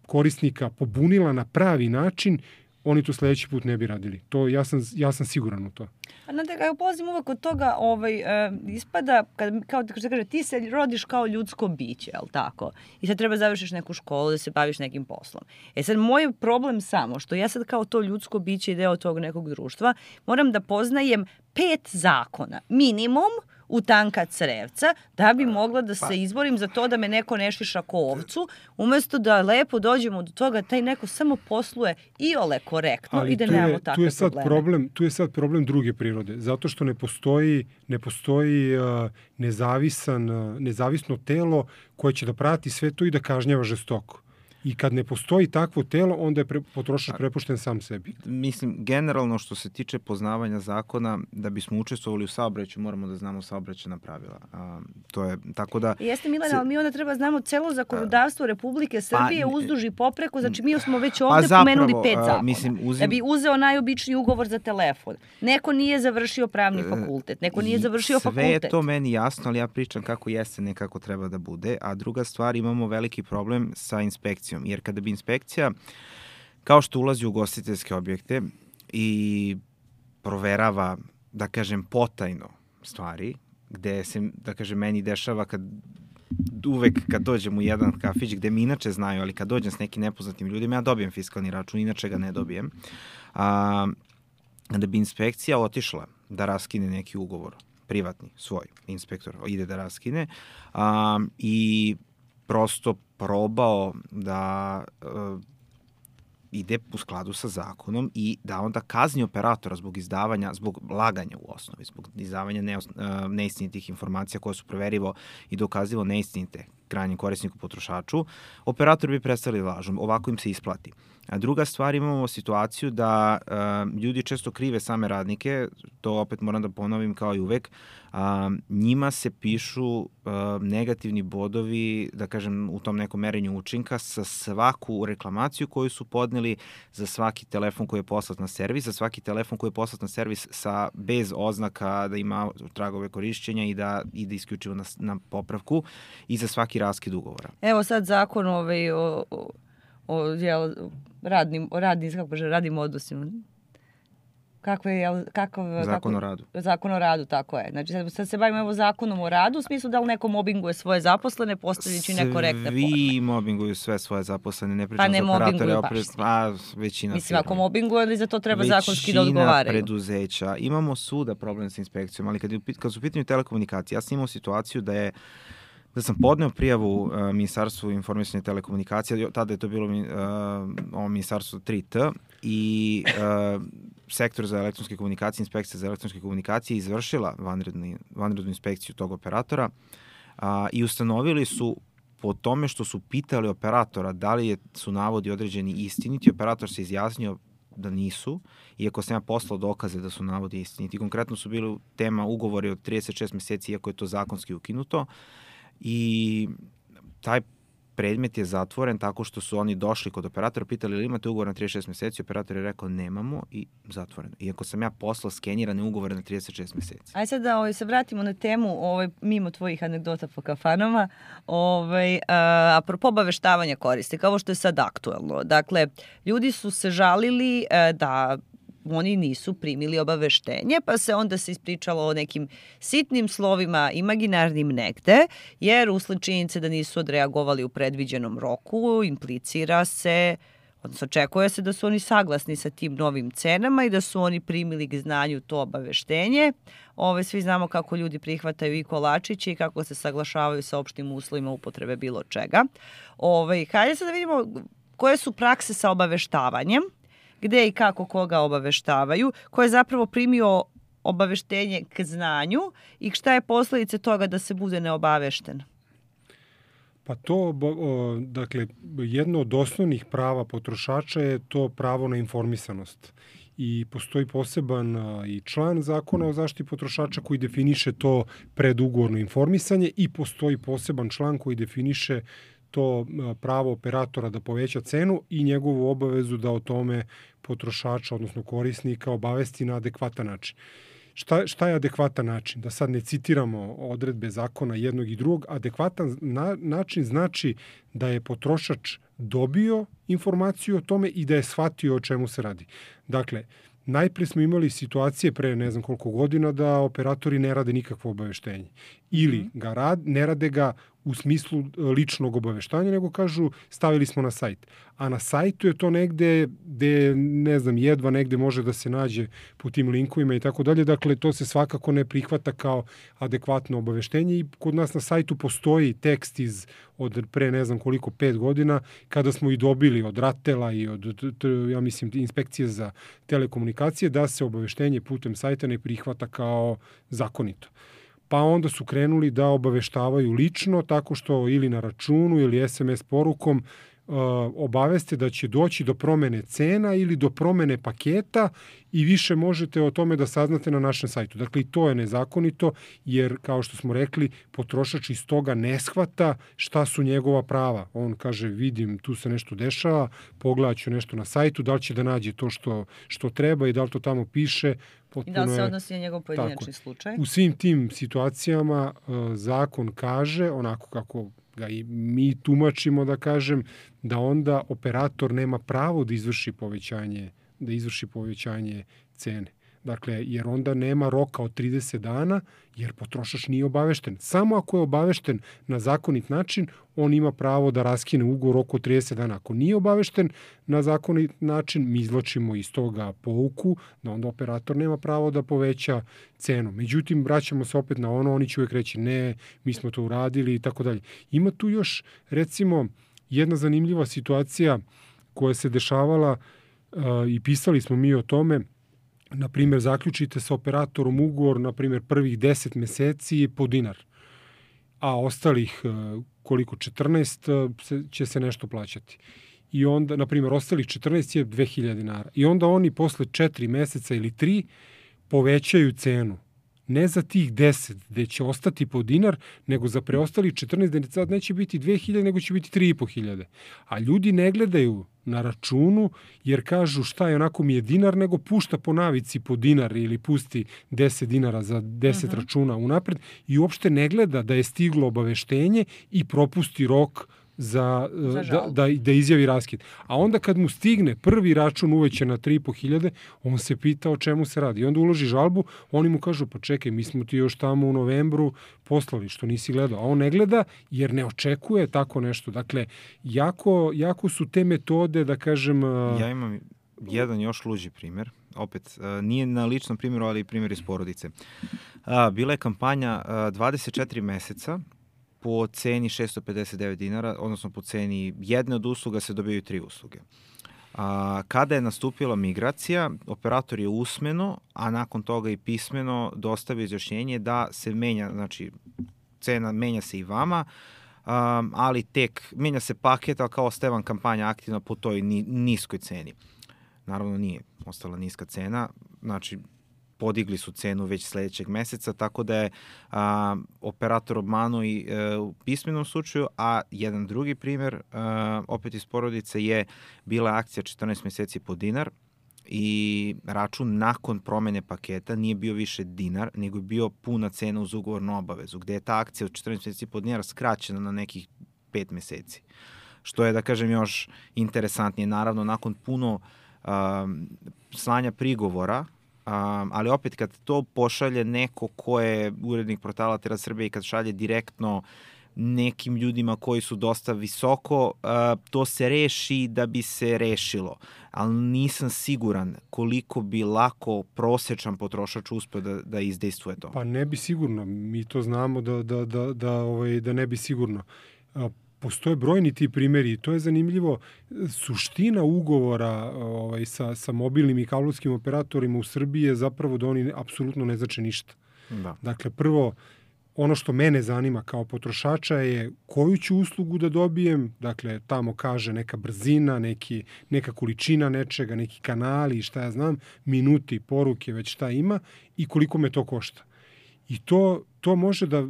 korisnika pobunila na pravi način, oni to sledeći put ne bi radili. To, ja, sam, ja sam siguran u to. A znate, kako polazim uvek od toga, ovaj, e, ispada, kad, kao da se kaže, ti se rodiš kao ljudsko biće, jel tako? I sad treba završiš neku školu da se baviš nekim poslom. E sad, moj problem samo, što ja sad kao to ljudsko biće i deo tog nekog društva, moram da poznajem pet zakona, minimum, u tanka crevca, da bi mogla da se izborim za to da me neko ne šiša ko ovcu, umesto da lepo dođemo do toga, taj neko samo posluje i ole korektno i da nemamo takve tu je sad probleme. Problem, tu je sad problem druge prirode, zato što ne postoji, ne postoji uh, nezavisan, uh, nezavisno telo koje će da prati sve to i da kažnjava žestoko. I kad ne postoji takvo telo, onda je pre, potrošač prepušten sam sebi. Mislim, generalno što se tiče poznavanja zakona, da bismo učestvovali u saobraćaju, moramo da znamo saobraćajna pravila. A, to je, tako da... Jeste, Milana, se, ali mi onda treba znamo celo zakonodavstvo Republike Srbije pa, uzduž i popreko, znači mi smo već ovde zapravo, pomenuli pet zakona. Mislim, uzim... Da bi uzeo najobičniji ugovor za telefon. Neko nije završio pravni fakultet, neko nije završio sve fakultet. Sve je to meni jasno, ali ja pričam kako jeste, ne kako treba da bude. A druga stvar, imamo veliki problem sa inspekcijom. Jer kada bi inspekcija, kao što ulazi u ugostiteljske objekte i proverava, da kažem, potajno stvari, gde se, da kažem, meni dešava kad uvek kad dođem u jedan kafić gde mi inače znaju, ali kad dođem s nekim nepoznatim ljudima, ja dobijem fiskalni račun, inače ga ne dobijem. A, kada bi inspekcija otišla da raskine neki ugovor, privatni, svoj inspektor ide da raskine a, i prosto probao da uh, ide u skladu sa zakonom i da onda kazni operatora zbog izdavanja, zbog laganja u osnovi, zbog izdavanja ne, uh, neistinitih informacija koje su proverivo i dokazivo neistinite krajnjem korisniku potrošaču, operator bi prestali lažom. Ovako im se isplati. A druga stvar, imamo situaciju da uh, ljudi često krive same radnike, to opet moram da ponovim kao i uvek, uh, njima se pišu uh, negativni bodovi, da kažem, u tom nekom merenju učinka sa svaku reklamaciju koju su podneli, za svaki telefon koji je poslat na servis, za svaki telefon koji je poslat na servis sa, bez oznaka da ima tragove korišćenja i da ide isključivo na, na popravku i za svaki raskid ugovora. Evo sad zakon ovaj, o, o, o, jel, radnim, o radnim, kako kaže, radnim odnosima. Kako je, jel, kakav, zakon kako, o radu. Zakon o radu, tako je. Znači sad, sad se bavimo evo zakonom o radu, u smislu da li neko mobinguje svoje zaposlene, postavljajući nekorektne forme. Svi mobinguju sve svoje zaposlene, ne pričam pa ne za operatore, opred, a većina Mislim, firma. ako mobinguje, ali za to treba većina zakonski da odgovaraju. Većina preduzeća. Imamo suda problem sa inspekcijom, ali kad, je, kad su u pitanju telekomunikacije, ja sam imao situaciju da je da sam podneo prijavu uh, Ministarstvu informisanja i telekomunikacija, tada je to bilo uh, ovo Ministarstvo tri T i uh, sektor za elektronske komunikacije, inspekcija za elektronske komunikacije izvršila vanredni, vanrednu inspekciju tog operatora a, i ustanovili su po tome što su pitali operatora da li je, su navodi određeni istiniti, operator se izjasnio da nisu, iako sam ja poslao dokaze da su navodi istiniti. Konkretno su bili tema ugovori od trideset šest meseci, iako je to zakonski ukinuto, i taj predmet je zatvoren tako što su oni došli kod operatora, pitali ili imate ugovor na trideset šest meseci, operator je rekao nemamo i zatvoreno. Iako sam ja poslao skenirane ugovore na trideset šest meseci. Ajde sad da ovaj, se vratimo na temu ovaj, mimo tvojih anegdota po kafanama, ovaj, a, apropo obaveštavanja korisnika, ovo što je sad aktuelno. Dakle, ljudi su se žalili a, da oni nisu primili obaveštenje, pa se onda se ispričalo o nekim sitnim slovima, imaginarnim negde, jer usled činjenice da nisu odreagovali u predviđenom roku, implicira se, odnosno očekuje se da su oni saglasni sa tim novim cenama i da su oni primili k znanju to obaveštenje. Ove, svi znamo kako ljudi prihvataju i kolačiće i kako se saglašavaju sa opštim uslovima upotrebe bilo čega. Ove, hajde sad da vidimo koje su prakse sa obaveštavanjem, gde i kako koga obaveštavaju, ko je zapravo primio obaveštenje k znanju i šta je posledice toga da se bude neobavešten? Pa to, dakle, jedno od osnovnih prava potrošača je to pravo na informisanost. i postoji poseban i član zakona o zaštiti potrošača koji definiše to predugovorno informisanje i postoji poseban član koji definiše to pravo operatora da poveća cenu i njegovu obavezu da o tome potrošača, odnosno korisnika, obavesti na adekvatan način. Šta, šta je adekvatan način? Da sad ne citiramo odredbe zakona jednog i drugog. Adekvatan na, način znači da je potrošač dobio informaciju o tome i da je shvatio o čemu se radi. Dakle, najpre smo imali situacije pre ne znam koliko godina da operatori ne rade nikakvo obaveštenje. Ili ga rad, ne rade ga u smislu ličnog obaveštanja, nego kažu stavili smo na sajt. A na sajtu je to negde gde, ne znam, jedva negde može da se nađe po tim linkovima i tako dalje. Dakle, to se svakako ne prihvata kao adekvatno obaveštenje i kod nas na sajtu postoji tekst iz od pre ne znam koliko, pet godina, kada smo i dobili od RATEL-a i od, ja mislim, inspekcije za telekomunikacije, da se obaveštenje putem sajta ne prihvata kao zakonito. Pa onda su krenuli da obaveštavaju lično, tako što ili na računu ili es em es porukom uh, obaveste da će doći do promene cena ili do promene paketa i više možete o tome da saznate na našem sajtu. Dakle, i to je nezakonito, jer, kao što smo rekli, potrošač iz toga ne shvata šta su njegova prava. On kaže, vidim, tu se nešto dešava, pogledat ću nešto na sajtu, da li će da nađe to što, što treba i da li to tamo piše. I da li se odnosi na njegov pojedinačni slučaj? U svim tim situacijama uh, zakon kaže, onako kako ga i mi tumačimo, da kažem, da onda operator nema pravo da izvrši povećanje, da izvrši povećanje cene. Dakle, jer onda nema roka od trideset dana, jer potrošač nije obavešten. Samo ako je obavešten na zakonit način, on ima pravo da raskine ugovor u roku od trideset dana. Ako nije obavešten na zakonit način, mi izvlačimo iz toga pouku, da onda operator nema pravo da poveća cenu. Međutim, vraćamo se opet na ono, oni će uvijek reći ne, mi smo to uradili i tako dalje. Ima tu još, recimo, jedna zanimljiva situacija koja se dešavala uh, i pisali smo mi o tome. Na primjer, zaključite sa operatorom ugovor, na primjer, prvih deset meseci po dinar, a ostalih koliko, četrnaest će se nešto plaćati. I onda, na primjer, ostalih četrnaest je dve hiljade dinara. I onda oni posle četiri meseca ili tri povećaju cenu. Ne za tih deset, gde će ostati po dinar, nego za preostali četrnaest, gde sad neće biti dve hiljade, nego će biti tri i po hiljade. A ljudi ne gledaju na računu, jer kažu šta je, onako mi je dinar, nego pušta po navici po dinar ili pusti deset dinara za deset uh-huh. računa unapred i uopšte ne gleda da je stiglo obaveštenje i propusti rok za, za da, da, da izjavi raskid. A onda kad mu stigne prvi račun uvećan na tri i po hiljade, on se pita o čemu se radi. I onda uloži žalbu, oni mu kažu, pa čekaj, mi smo ti još tamo u novembru poslali, što nisi gledao. A on ne gleda jer ne očekuje tako nešto. Dakle, jako, jako su te metode, da kažem... Ja imam jedan još luđi primjer. Opet, nije na ličnom primjeru, ali i primjer iz porodice. Bila je kampanja dvadeset četiri meseca, po ceni šesto pedeset devet dinara, odnosno po ceni jedne od usluga se dobijaju tri usluge. A, kada je nastupila migracija, operator je usmeno, a nakon toga i pismeno dostavio izjašnjenje da se menja, znači cena menja se i vama, a, ali tek menja se paket, ali kao ostaje vam kampanja aktivna po toj ni, niskoj ceni. Naravno nije ostala niska cena, znači podigli su cenu već sledećeg meseca, tako da je a, operator obmanuo i e, u pismenom slučaju, a jedan drugi primjer, a, opet iz porodice, je bila akcija četrnaest meseci po dinar i račun nakon promene paketa nije bio više dinar, nego je bio puna cena uz ugovornu obavezu, gde je ta akcija od četrnaest meseci po dinar skraćena na nekih pet meseci. Što je, da kažem, još interesantnije. Naravno, nakon puno a, slanja prigovora, Um, ali opet kad to pošalje neko ko je urednik portala Tera Srbije i kad šalje direktno nekim ljudima koji su dosta visoko, uh, to se reši da bi se rešilo. Ali nisam siguran koliko bi lako prosečan potrošač uspeo da, da izdejstvuje to. Pa ne bi sigurno. Mi to znamo da, da, da, da, ovaj, da ne bi sigurno. Uh, Postoje brojni ti primjeri i to je zanimljivo. Suština ugovora ovaj, sa, sa mobilnim i kablovskim operatorima u Srbiji je zapravo da oni apsolutno ne znače ništa. Da. Dakle, prvo, ono što mene zanima kao potrošača je koju ću uslugu da dobijem, dakle tamo kaže neka brzina, neki, neka količina nečega, neki kanali, šta ja znam, minuti, poruke, već šta ima i koliko me to košta. I to, to može da,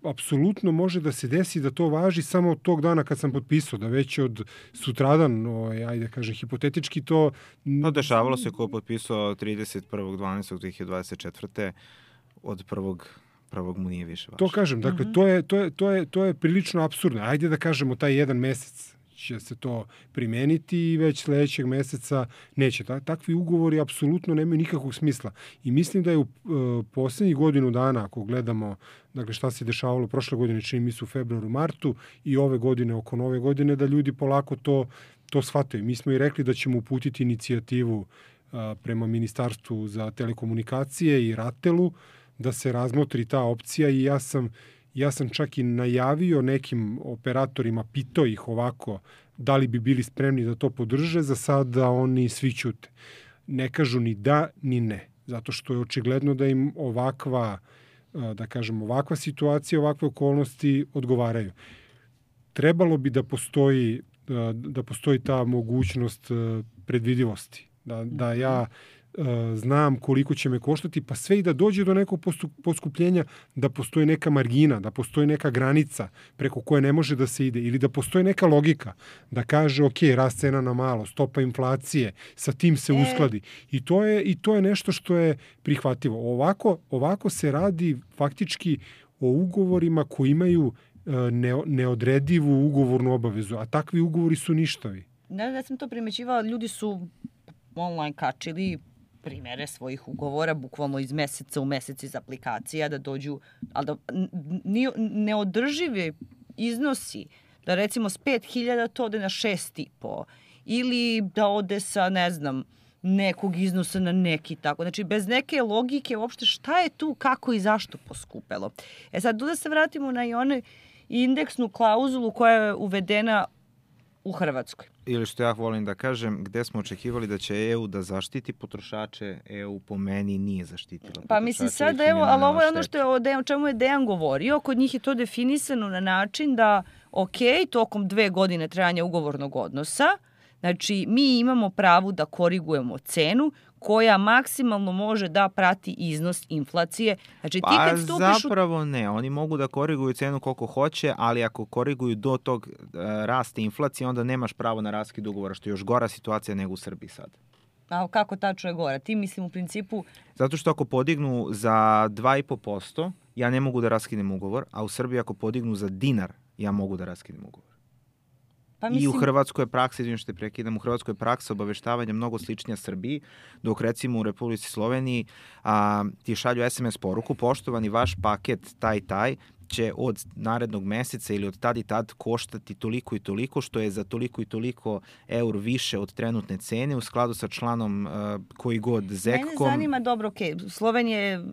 apsolutno može da se desi da to važi samo od tog dana kad sam potpisao, da već od sutradan, o, ajde kažem, hipotetički to... No, dešavalo se ko je potpisao trideset prvog decembra dve hiljade dvadeset četvrte od prvog prvog mu nije više važno. To kažem, dakle, uh-huh. to, je, to, je, to, je, to je prilično apsurdno. Ajde da kažemo taj jedan mesec će se to primeniti i već sledećeg meseca neće. Takvi ugovori apsolutno nemaju nikakvog smisla. I mislim da je u uh, poslednjih godinu dana, ako gledamo dakle, šta se dešavalo prošle godine, čini mi se u februaru, martu i ove godine, oko nove godine, da ljudi polako to, to shvataju. Mi smo i rekli da ćemo uputiti inicijativu uh, prema Ministarstvu za telekomunikacije i Ratelu, da se razmotri ta opcija i ja sam, ja sam čak i najavio nekim operatorima, pitao ih ovako da li bi bili spremni da to podrže, za sada oni svi ćute. Ne kažu ni da, ni ne. Zato što je očigledno da im ovakva, da kažem, ovakva situacija, ovakve okolnosti odgovaraju. Trebalo bi da postoji, da postoji ta mogućnost predvidivosti. Da, da ja znam koliko će me koštati, pa sve i da dođe do nekog poskupljenja, da postoji neka margina, da postoji neka granica preko koje ne može da se ide, ili da postoji neka logika, da kaže, ok, rast cena na malo, stopa inflacije, sa tim se uskladi. I to je, i to je nešto što je prihvatljivo. Ovako, ovako se radi faktički o ugovorima koji imaju ne, neodredivu ugovornu obavezu, a takvi ugovori su ništavi. Da, da sam to primećivala, ljudi su online kačili primere svojih ugovora, bukvalno iz meseca u mesec iz aplikacija, da dođu, ali da neodržive iznosi, da recimo s pet hiljada to ode na šest i po, ili da ode sa, ne znam, nekog iznosa na neki tako. Znači, bez neke logike uopšte šta je tu, kako i zašto poskupelo. E sad, tu da se vratimo na i onu indeksnu klauzulu koja je uvedena u Hrvatskoj. Ili što ja volim da kažem, gde smo očekivali da će E U da zaštiti potrošače, E U po meni nije zaštitila potrošače. Pa mislim sad, evo, ali ovo je ono što je o, Dejan, o čemu je Dejan govorio, kod njih je to definisano na način da, ok, tokom dve godine trajanja ugovornog odnosa, znači mi imamo pravo da korigujemo cenu koja maksimalno može da prati iznos inflacije. Znači, ti pa kad stupiš zapravo ne, oni mogu da koriguju cenu koliko hoće, ali ako koriguju do tog uh, rasta inflacije, onda nemaš pravo na raskid ugovora, što je još gora situacija nego u Srbiji sad. A kako tačno je gora? Ti mislim u principu... Zato što ako podignu za dva i po posto, ja ne mogu da raskinem ugovor, a u Srbiji ako podignu za dinar, ja mogu da raskinem ugovor. Pa mislim... I u Hrvatskoj je praksa, izvijem što te prekidam, u Hrvatskoj je praksa obaveštavanja mnogo sličnija Srbiji, dok recimo u Republici Sloveniji a, ti šalju es em es poruku, poštovani, vaš paket taj taj će od narednog meseca ili od tad i tad koštati toliko i toliko, što je za toliko i toliko eur više od trenutne cene u skladu sa članom a, koji god zekom. Mene zanima, dobro, ok, Slovenija je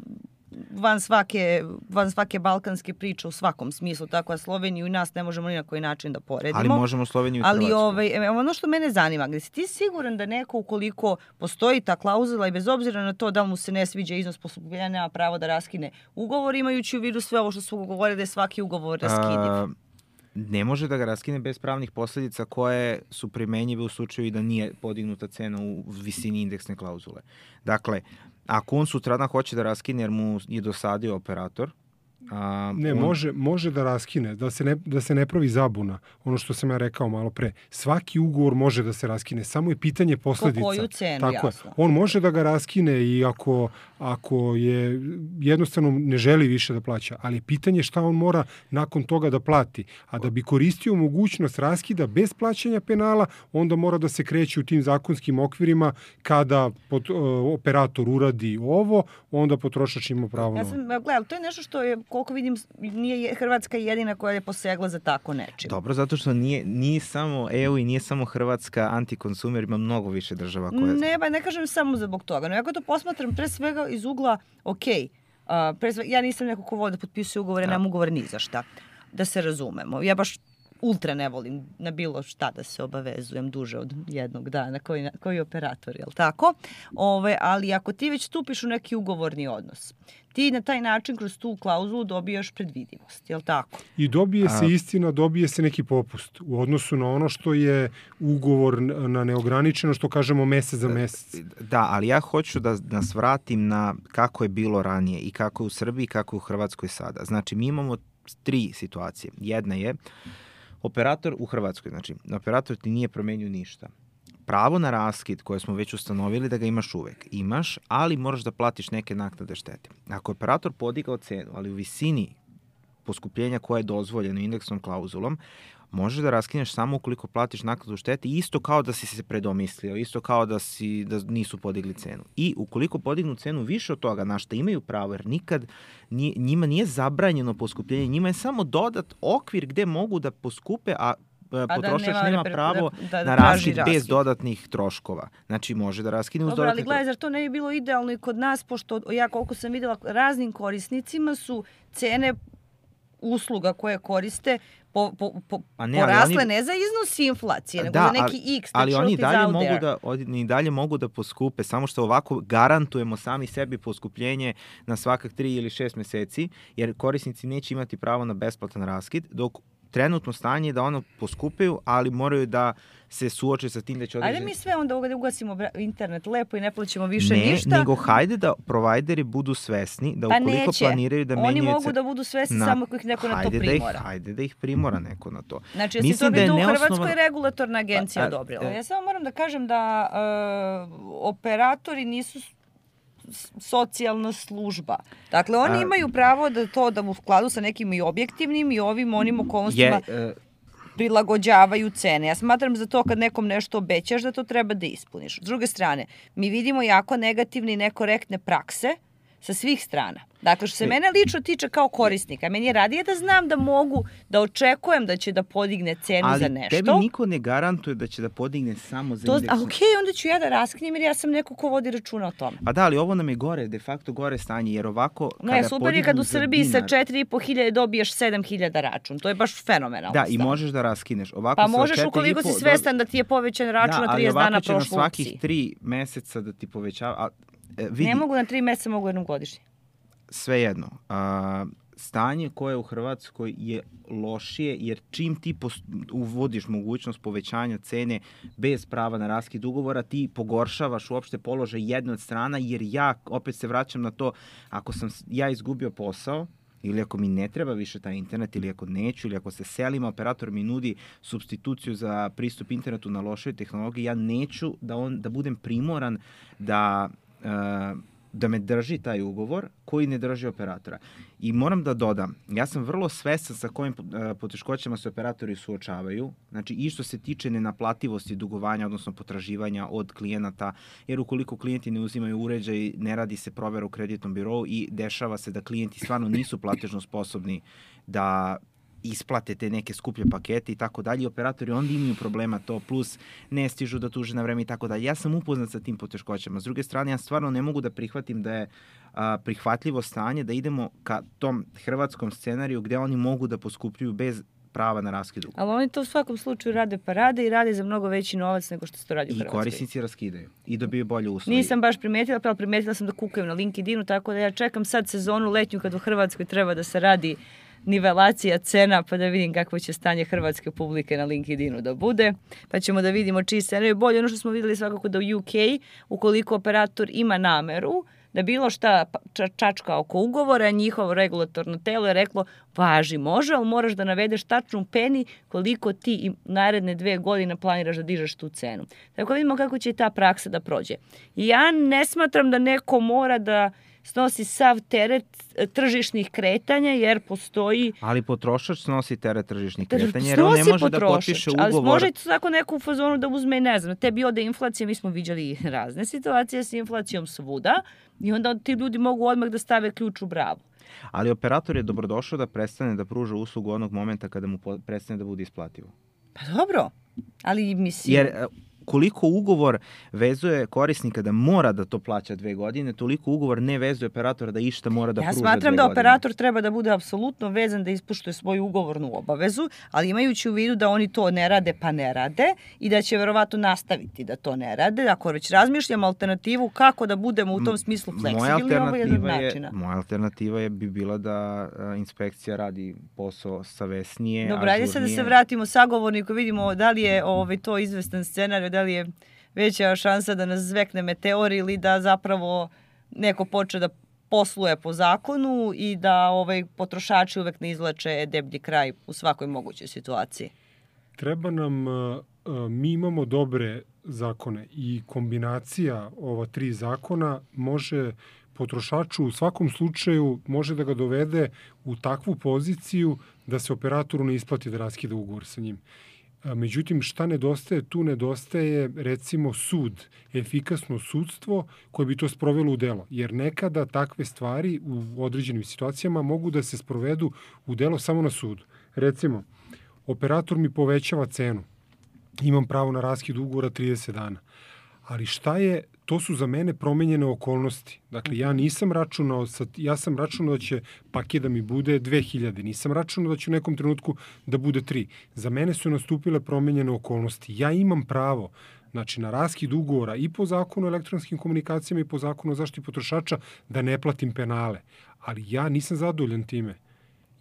van svake, van svake balkanske priče u svakom smislu, tako da Sloveniju i nas ne možemo ni na koji način da poredimo. Ali možemo Sloveniju i Ali Hrvatsku. ovaj, ono što mene zanima, gde si ti siguran da neko ukoliko postoji ta klauzula i bez obzira na to da li mu se ne sviđa iznos poskupljenja, nema pravo da raskine ugovor, imajući u vidu sve ovo što su govorili da je svaki ugovor raskidiv? A, ne može da ga raskine bez pravnih posledica koje su primenjive u slučaju da nije podignuta cena u visini indeksne klauzule. Dakle, ako on sutradan hoće da raskine jer mu je dosadio operator, a, ne, on... može, može da raskine, da se, ne, da se ne pravi zabuna. Ono što sam ja rekao malo pre. Svaki ugovor može da se raskine, samo je pitanje posledica. Po koju cenu, tako jasno. Je. On može da ga raskine i ako, ako je jednostavno ne želi više da plaća, ali pitanje šta on mora nakon toga da plati. A da bi koristio mogućnost raskida bez plaćanja penala, onda mora da se kreće u tim zakonskim okvirima kada pod, uh, operator uradi ovo, onda potrošač ima pravo na ja sam, gledam, to je nešto što je, koliko vidim, nije Hrvatska jedina koja je posegla za tako nečim. Dobro, zato što nije, nije samo E U i nije samo Hrvatska antikonsumer, ima mnogo više država koje... Ne, ba, ne kažem samo zbog toga, no ja to posmatram pre svega iz ugla, ok, uh, pre svega, ja nisam neko ko vode da potpisuje ugovore, da. Nemam ugovore ni za šta, da se razumemo. Ja baš ultra ne volim na bilo šta da se obavezujem duže od jednog dana, koji, koji operator, jel tako? Ove, ali ako ti već stupiš u neki ugovorni odnos, ti na taj način kroz tu klauzulu dobijaš predvidivost, jel tako? I dobije se istina, dobije se neki popust u odnosu na ono što je ugovor na neograničeno, što kažemo mesec za mesec. Da, ali ja hoću da nas vratim na kako je bilo ranije i kako je u Srbiji i kako je u Hrvatskoj sada. Znači, mi imamo tri situacije. Jedna je operator u Hrvatskoj, znači operator ti nije promenio ništa. Pravo na raskid koje smo već ustanovili da ga imaš uvek. Imaš, ali moraš da platiš neke naknade štete. Ako je operator podigao cenu, ali u visini poskupljenja koja je dozvoljena indeksnom klauzulom, možeš da raskineš samo ukoliko platiš naknadu štete, isto kao da si se predomislio, isto kao da, si, da nisu podigli cenu. I ukoliko podignu cenu više od toga, na što imaju pravo, jer nikad nije, njima nije zabranjeno poskupljenje, njima je samo dodat okvir gde mogu da poskupe, a potrošač nema, nema pravo da, da, da na raskid bez dodatnih troškova. Znači, može da raskine uz dodatnih troškova. Dobro, ali gledaj, zar to ne bi bilo idealno i kod nas, pošto ja koliko sam vidjela, raznim korisnicima su cene usluga koje koriste po, po, po, ne, porasle oni, ne za iznos inflacije, nego da, za neki ali, X. Ali oni dalje, mogu da, oni dalje mogu da poskupe, samo što ovako garantujemo sami sebi poskupljenje na svakak tri ili šest meseci, jer korisnici neće imati pravo na besplatan raskid, dok trenutno stanje je da ono poskupeju, ali moraju da se suoče sa tim da će određeni... Ajde mi sve onda ovdje ugasimo internet lepo i ne plaćemo više ne, ništa. Ne, nego hajde da provajderi budu svesni, da ukoliko pa planiraju da menjaju... Oni mogu da budu svesni na... samo ako ih neko na to primora. Da ih, hajde da ih primora neko na to. Znači, jesi to bi tu u Hrvatskoj regulatorna agencija pa, odobrila. Ja samo moram da kažem da uh, operatori nisu socijalna služba. Dakle, oni a, imaju pravo da to da u skladu sa nekim i objektivnim i ovim onim okolnostima je, uh, prilagođavaju cene. Ja smatram za to kad nekom nešto obećaš da to treba da ispuniš. S druge strane, mi vidimo jako negativne i nekorektne prakse sa svih strana. Dakle, što se mene lično tiče kao korisnika, meni je radije da znam da mogu, da očekujem da će da podigne cenu ali za nešto. Ali tebi niko ne garantuje da će da podigne samo za to, indeks. A okej, okay, onda ću ja da raskinem jer ja sam neko ko vodi računa o tome. Pa da, ali ovo nam je gore, de facto gore stanje, jer ovako kada ne, super je kad u Srbiji dinar, sa četiri i po hiljade dobiješ sedam hiljada račun. To je baš fenomenalno. Da, i možeš da raskineš. Ovako pa možeš ukoliko si svestan da ti je povećan račun na trideset dana prošlo opciji. Da, ali ovako će na svakih tri meseca da ti povećava. A, e, vidi, ne mogu na tri meseca, mogu jednom godišnje. Svejedno, a, stanje koje u Hrvatskoj je lošije, jer čim ti post, uvodiš mogućnost povećanja cene bez prava na raskid ugovora, ti pogoršavaš uopšte položaj jedne od strana, jer ja, opet se vraćam na to, ako sam ja izgubio posao, ili ako mi ne treba više taj internet, ili ako neću, ili ako se selim, operator mi nudi supstituciju za pristup internetu na lošoj tehnologiji, ja neću da, on, da budem primoran da... Uh, da me drži taj ugovor koji ne drži operatora. I moram da dodam, ja sam vrlo svestan sa kojim poteškoćama se operatori suočavaju, znači i što se tiče nenaplativosti dugovanja, odnosno potraživanja od klijenata, jer ukoliko klijenti ne uzimaju uređaj, ne radi se provera u kreditnom birovu i dešava se da klijenti stvarno nisu platežno sposobni da isplate te neke skuplje pakete i tako dalje. Operatori onda imaju problema to, plus ne stižu da tuže na vreme i tako dalje. Ja sam upoznat sa tim poteškoćama. S druge strane, ja stvarno ne mogu da prihvatim da je a, prihvatljivo stanje da idemo ka tom hrvatskom scenariju gde oni mogu da poskupljuju bez prava na raskid ugovora. Ali oni to u svakom slučaju rade pa rade i rade za mnogo veći novac nego što se to radi u Hrvatskoj. I korisnici raskidaju i dobiju bolje usluge. Nisam baš primetila, ali primetila sam da kukaju na LinkedInu, tako da ja čekam sad sezonu letnju kad u Hrvatskoj treba da se radi nivelacija cena, pa da vidim kakvo će stanje hrvatske publike na LinkedInu da bude, pa ćemo da vidimo čiji scenarij je bolje. Ono što smo videli svakako da u U K, ukoliko operator ima nameru da bilo šta čačka oko ugovora, njihovo regulatorno telo je reklo, važi, može, ali moraš da navedeš tačnu peni koliko ti i naredne dve godine planiraš da dižeš tu cenu. Tako vidimo kako će i ta praksa da prođe. I ja ne smatram da neko mora da snosi sav teret tržišnih kretanja, jer postoji... Ali potrošač snosi teret tržišnih kretanja, jer on ne može da potpiše ugovor. Ali može tako neku u fazonu da uzme, ne znam, tebi ode inflacija, mi smo viđali razne situacije s inflacijom svuda, i onda ti ljudi mogu odmah da stave ključ u bravu. Ali operator je dobrodošao da prestane da pruža uslugu onog momenta kada mu prestane da bude isplativo. Pa dobro, ali mislim... Jer koliko ugovor vezuje korisnika da mora da to plaća dve godine, toliko ugovor ne vezuje operatora da išta mora da ja pruža dve godine. Ja smatram da operator treba da bude apsolutno vezan da ispoštuje svoju ugovornu obavezu, ali imajući u vidu da oni to ne rade pa ne rade i da će verovatno nastaviti da to ne rade. Ako već razmišljamo alternativu kako da budemo u tom smislu fleksibilni, ovo je jedan načina. Moja alternativa je bi bila da inspekcija radi posao savesnije, ažurnije. Dobro, ajde sad da se vratimo sagovorniku, vidimo da li je ovaj, to izvestan scenarij, da li je veća šansa da nas zvekne meteor ili da zapravo neko počne da posluje po zakonu i da ovaj, potrošači uvek ne izlače deblji kraj u svakoj mogućoj situaciji. Treba nam, mi imamo dobre zakone i kombinacija ova tri zakona može potrošaču u svakom slučaju može da ga dovede u takvu poziciju da se operatoru ne isplati da raskida ugovor sa njim. Međutim, šta nedostaje? Tu nedostaje, recimo, sud, efikasno sudstvo koje bi to sprovelo u delo. Jer nekada takve stvari u određenim situacijama mogu da se sprovedu u delo samo na sudu. Recimo, operator mi povećava cenu. Imam pravo na raskid ugovora trideset dana. Ali šta je, to su za mene promenjene okolnosti. Dakle, ja nisam računao, ja sam računao da će paket da mi bude dve hiljade. Nisam računao da će u nekom trenutku da bude tri. Za mene su nastupile promenjene okolnosti. Ja imam pravo, znači, na raskid ugovora i po zakonu o elektronskim komunikacijama i po zakonu o zaštiti potrošača da ne platim penale. Ali ja nisam zadovoljan time.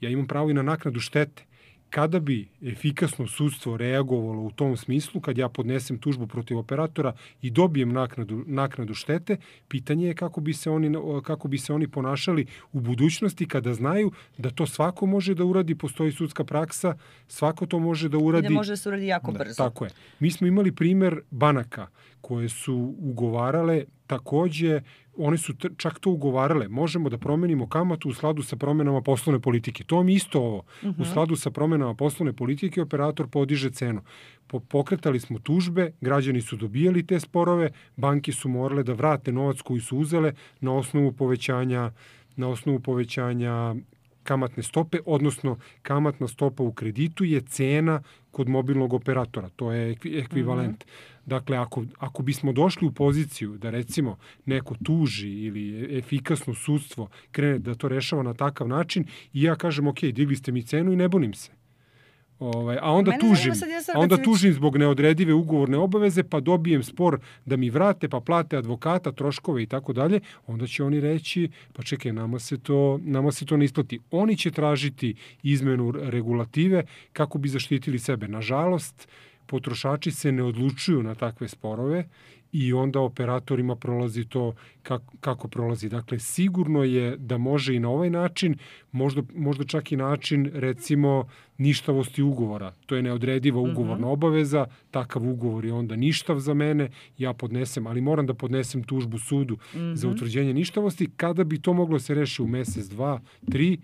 Ja imam pravo i na naknadu štete. Kada bi efikasno sudstvo reagovalo u tom smislu, kad ja podnesem tužbu protiv operatora i dobijem naknadu, naknadu štete, pitanje je kako bi, se oni, kako bi se oni ponašali u budućnosti kada znaju da to svako može da uradi, postoji sudska praksa, svako to može da uradi. I da može da se uradi jako da, brzo. Tako je. Mi smo imali primer banaka koje su ugovarale takođe, one su čak to ugovarale. Možemo da promenimo kamatu u skladu sa promenama poslovne politike. To mi isto ovo. Uh-huh. U skladu sa promenama poslovne politike operator podiže cenu. Pokretali smo tužbe, građani su dobijali te sporove, banke su morale da vrate novac koji su uzele na osnovu povećanja, na osnovu povećanja kamatne stope, odnosno kamatna stopa u kreditu je cena kod mobilnog operatora. To je ekvivalent. Mm-hmm. Dakle, ako, ako bismo došli u poziciju da recimo neko tuži ili efikasno sudstvo krene da to rešava na takav način i ja kažem, ok, digli ste mi cenu i ne bunim se. Ovaj, a onda tužim, a onda tužim zbog neodredive ugovorne obaveze, pa dobijem spor da mi vrate, pa plate advokata, troškove i tako dalje, onda će oni reći, pa čekaj, nama se to, nama se to ne isplati. Oni će tražiti izmenu regulative kako bi zaštitili sebe. Nažalost, potrošači se ne odlučuju na takve sporove i onda operatorima prolazi to kako, kako prolazi. Dakle, sigurno je da može i na ovaj način, možda, možda čak i način, recimo, ništavosti ugovora. To je neodrediva ugovorna obaveza, takav ugovor je onda ništav za mene, ja podnesem, ali moram da podnesem tužbu sudu mm-hmm. za utvrđenje ništavosti. Kada bi to moglo se reši u mesec, dva, tri,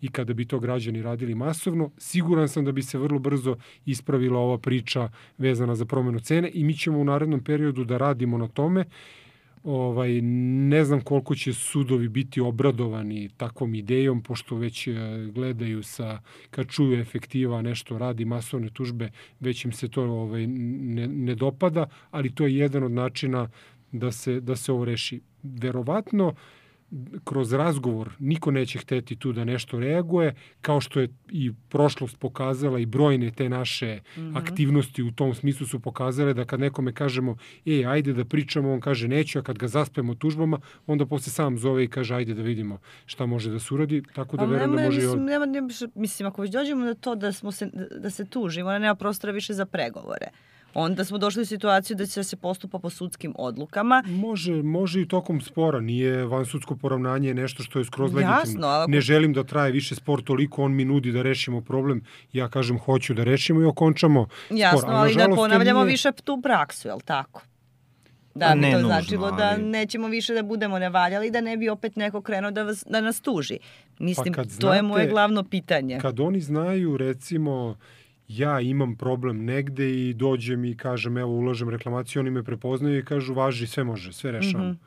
i kada bi to građani radili masovno, siguran sam da bi se vrlo brzo ispravila ova priča vezana za promenu cene i mi ćemo u narednom periodu da radimo na tome. Ovaj, ne znam koliko će sudovi biti obradovani takvom idejom, pošto već gledaju sa, kad čuju efektiva nešto radi masovne tužbe, već im se to ovaj, ne, ne dopada, ali to je jedan od načina da se, da se ovo reši. Verovatno, kroz razgovor niko neće hteti tu da nešto reaguje, kao što je i prošlost pokazala i brojne te naše mm-hmm. aktivnosti u tom smislu su pokazale da kad nekome kažemo e, ajde da pričamo, on kaže neću, a kad ga zaspemo tužbama, onda posle sam zove i kaže ajde da vidimo šta može da se uradi, tako da verujem da može mislim, i od... nema, nema, mislim, ako već dođemo na to da, smo se, da se tužimo, ona nema prostora više za pregovore. Onda smo došli u situaciju da će se postupa po sudskim odlukama. Može, može i tokom spora. Nije vansudsko poravnanje nešto što je skroz legitimno. Jasno, ali... Ne želim da traje više spor toliko, on mi nudi da rešimo problem. Ja kažem hoću da rešimo i okončamo Jasno, spor. ali, ali da ponavljamo nije... više tu praksu, je li tako? Da bi ne to nužno, značilo ali... da nećemo više da budemo nevaljali, da ne bi opet neko krenuo da, vas, da nas tuži. Mislim, pa to znate, je moje glavno pitanje. Kad oni znaju, recimo... ja imam problem negde i dođem i kažem, evo, ulažem reklamaciju, oni me prepoznaju i kažu, važi, sve može, sve rešamo. Mm-hmm.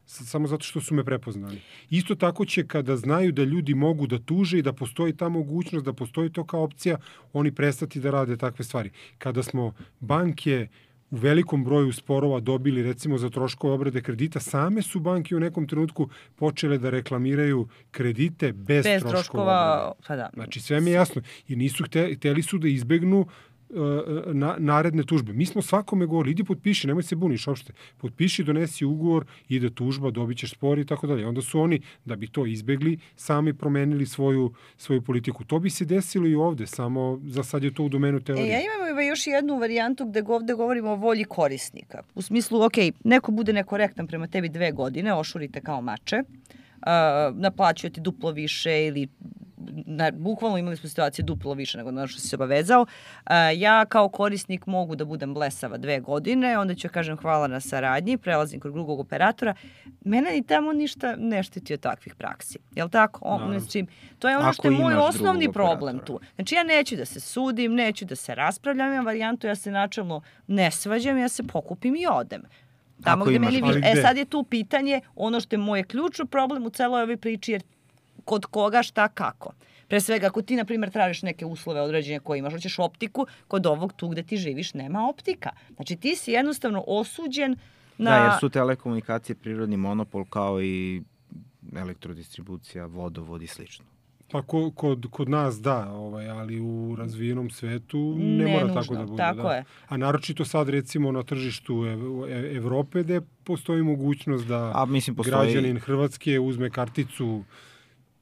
Samo zato što su me prepoznali. Isto tako će kada znaju da ljudi mogu da tuže i da postoji ta mogućnost, da postoji to kao opcija, oni prestati da rade takve stvari. Kada smo banke u velikom broju sporova dobili recimo za troškove obrade kredita, same su banke u nekom trenutku počele da reklamiraju kredite bez, bez troškova, troškova pa da. Znači sve mi je jasno. I nisu hteli, hteli su da izbegnu Na, naredne tužbe. Mi smo svakome govorili, idi potpiši, nemoj se buniš uopšte. Potpiši, donesi ugovor, ide tužba, dobit ćeš spor i tako dalje. Onda su oni, da bi to izbegli, sami promenili svoju, svoju politiku. To bi se desilo i ovde, samo za sad je to u domenu teorije. E, ja imam još jednu varijantu gde ovde govorimo o volji korisnika. U smislu, ok, neko bude nekorektan prema tebi dve godine, ošurite kao mače, uh, naplaćuje ti duplo više ili Na, bukvalno imali smo situacije duplo više nego na što si se obavezao. Uh, ja kao korisnik mogu da budem blesava dve godine, onda ću kažem hvala na saradnji, prelazim kod drugog operatora. Mene ni tamo ništa ne štiti od takvih praksi. Jel tako? On, znači, to je ono što je moj osnovni problem tu. Znači ja neću da se sudim, neću da se raspravljam, imam varijantu, ja se načelno ne svađam, ja se pokupim i odem. Tamo gde meni više. E sad je tu pitanje, ono što je moj ključni problem u celoj ovoj priči, jer kod koga, šta, kako. Pre svega, ako ti, na primjer, tražiš neke uslove određenja koje imaš, hoćeš optiku, kod ovog tu gde ti živiš nema optika. Znači, ti si jednostavno osuđen na... Da, jer su telekomunikacije prirodni monopol kao i elektrodistribucija, vodovod i slično. Pa ko, kod, kod nas da, ovaj, ali u razvijenom svetu ne, ne mora nužno, tako da bude. Tako da. Je. A naročito sad recimo na tržištu Ev- Evrope gde postoji mogućnost da A, mislim, postoji... građanin Hrvatske uzme karticu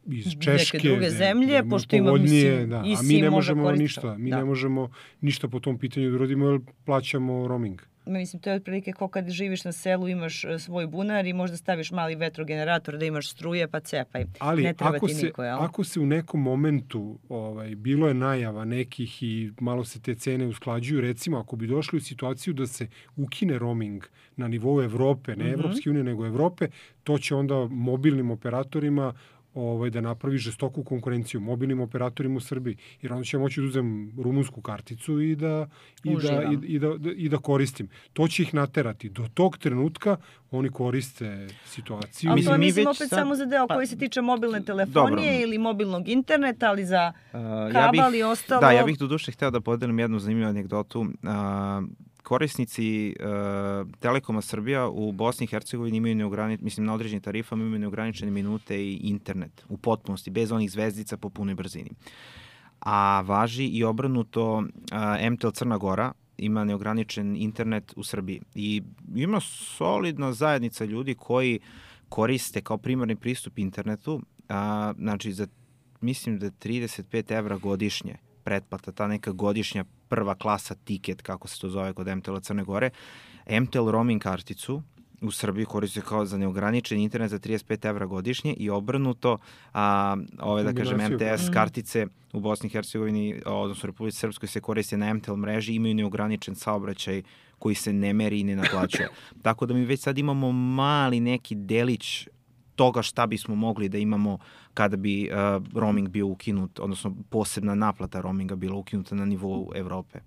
iz Češke, neke druge zemlje, ne, pošto ima, mislim, da. A mi ne možemo ništa, mi da. ne možemo ništa po tom pitanju da uradimo, jer plaćamo roaming. Mislim, to je otprilike kao kad živiš na selu, imaš svoj bunar i možda staviš mali vetrogenerator da imaš struje, pa cepaj. Ali ne treba ako, ti se, niko, jel? ako se u nekom momentu, ovaj, bilo je najava nekih i malo se te cene usklađuju, recimo ako bi došli u situaciju da se ukine roaming na nivou Evrope, ne mm-hmm. Evropske unije, nego Evrope, to će onda mobilnim operatorima ovaj, da napravi žestoku konkurenciju mobilnim operatorima u Srbiji. Jer onda će moći da uzem rumunsku karticu i da, i da, i, i, da, i da koristim. To će ih naterati. Do tog trenutka oni koriste situaciju. Ali to je, mislim, opet sad... samo za deo koji se tiče mobilne telefonije Dobro. ili mobilnog interneta, ali za kabal i ja ostalo... Da, ja bih do duše hteo da podelim jednu zanimljivu anegdotu. Uh, korisnici uh, Telekoma Srbija u Bosni i Hercegovini imaju neograničene, mislim na određenim tarifama imaju neograničene minute i internet u potpunosti, bez onih zvezdica po punoj brzini. A važi i obrnuto, uh, M T L Crna Gora ima neograničen internet u Srbiji. I ima solidna zajednica ljudi koji koriste kao primarni pristup internetu, a, znači za, mislim da trideset pet evra godišnje pretplata, ta neka godišnja prva klasa tiket, kako se to zove kod M T L Crne Gore, M T L roaming karticu u Srbiji koriste kao za neograničen internet za trideset pet evra godišnje i obrnuto a, ove, da kažem, M T S kartice u Bosni i Hercegovini, odnosno Republici Srpskoj se koriste na M T L mreži, imaju neograničen saobraćaj koji se ne meri i ne naplaćuje. Tako da mi već sad imamo mali neki delić toga šta bismo mogli da imamo kada bi uh, roaming bio ukinut, odnosno posebna naplata roaminga bila ukinuta na nivou Evrope.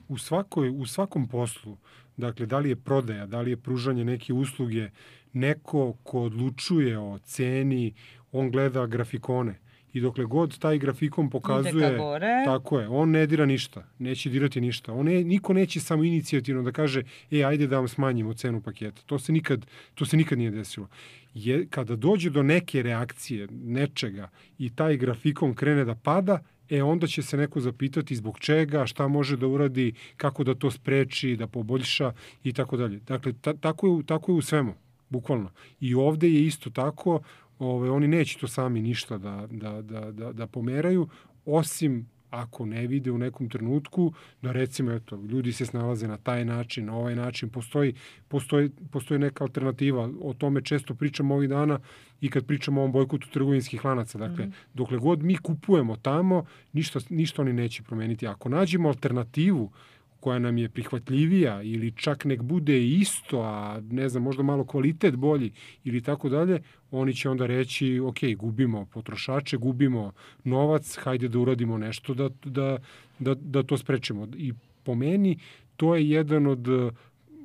U, svakoj, u svakom poslu, dakle, da li je prodaja, da li je pružanje neke usluge, neko ko odlučuje o ceni, on gleda grafikone. I dokle god taj grafikon pokazuje, tako je, on ne dira ništa, neće dirati ništa. On ne, niko neće samo inicijativno da kaže, e, ajde da vam smanjimo cenu paketa. To se nikad, to se nikad nije desilo. Je, kada dođe do neke reakcije, nečega, i taj grafikon krene da pada, e, onda će se neko zapitati zbog čega, šta može da uradi, kako da to spreči, da poboljša i tako dalje. Dakle, ta, tako, je, tako je u svemu, bukvalno. I ovde je isto tako. Ove, oni neće to sami ništa da, da, da, da, da pomeraju, osim ako ne vide u nekom trenutku da recimo eto, ljudi se snalaze na taj način, na ovaj način, postoji, postoji, postoji neka alternativa. O tome često pričamo ovih dana i kad pričamo o ovom bojkotu trgovinskih lanaca. Dakle, mm-hmm. dokle god mi kupujemo tamo, ništa, ništa oni neće promeniti. Ako nađemo alternativu koja nam je prihvatljivija ili čak nek bude isto, a ne znam, možda malo kvalitet bolji ili tako dalje, oni će onda reći, ok, gubimo potrošače, gubimo novac, hajde da uradimo nešto da, da, da, da to sprečimo. I po meni to je jedan od,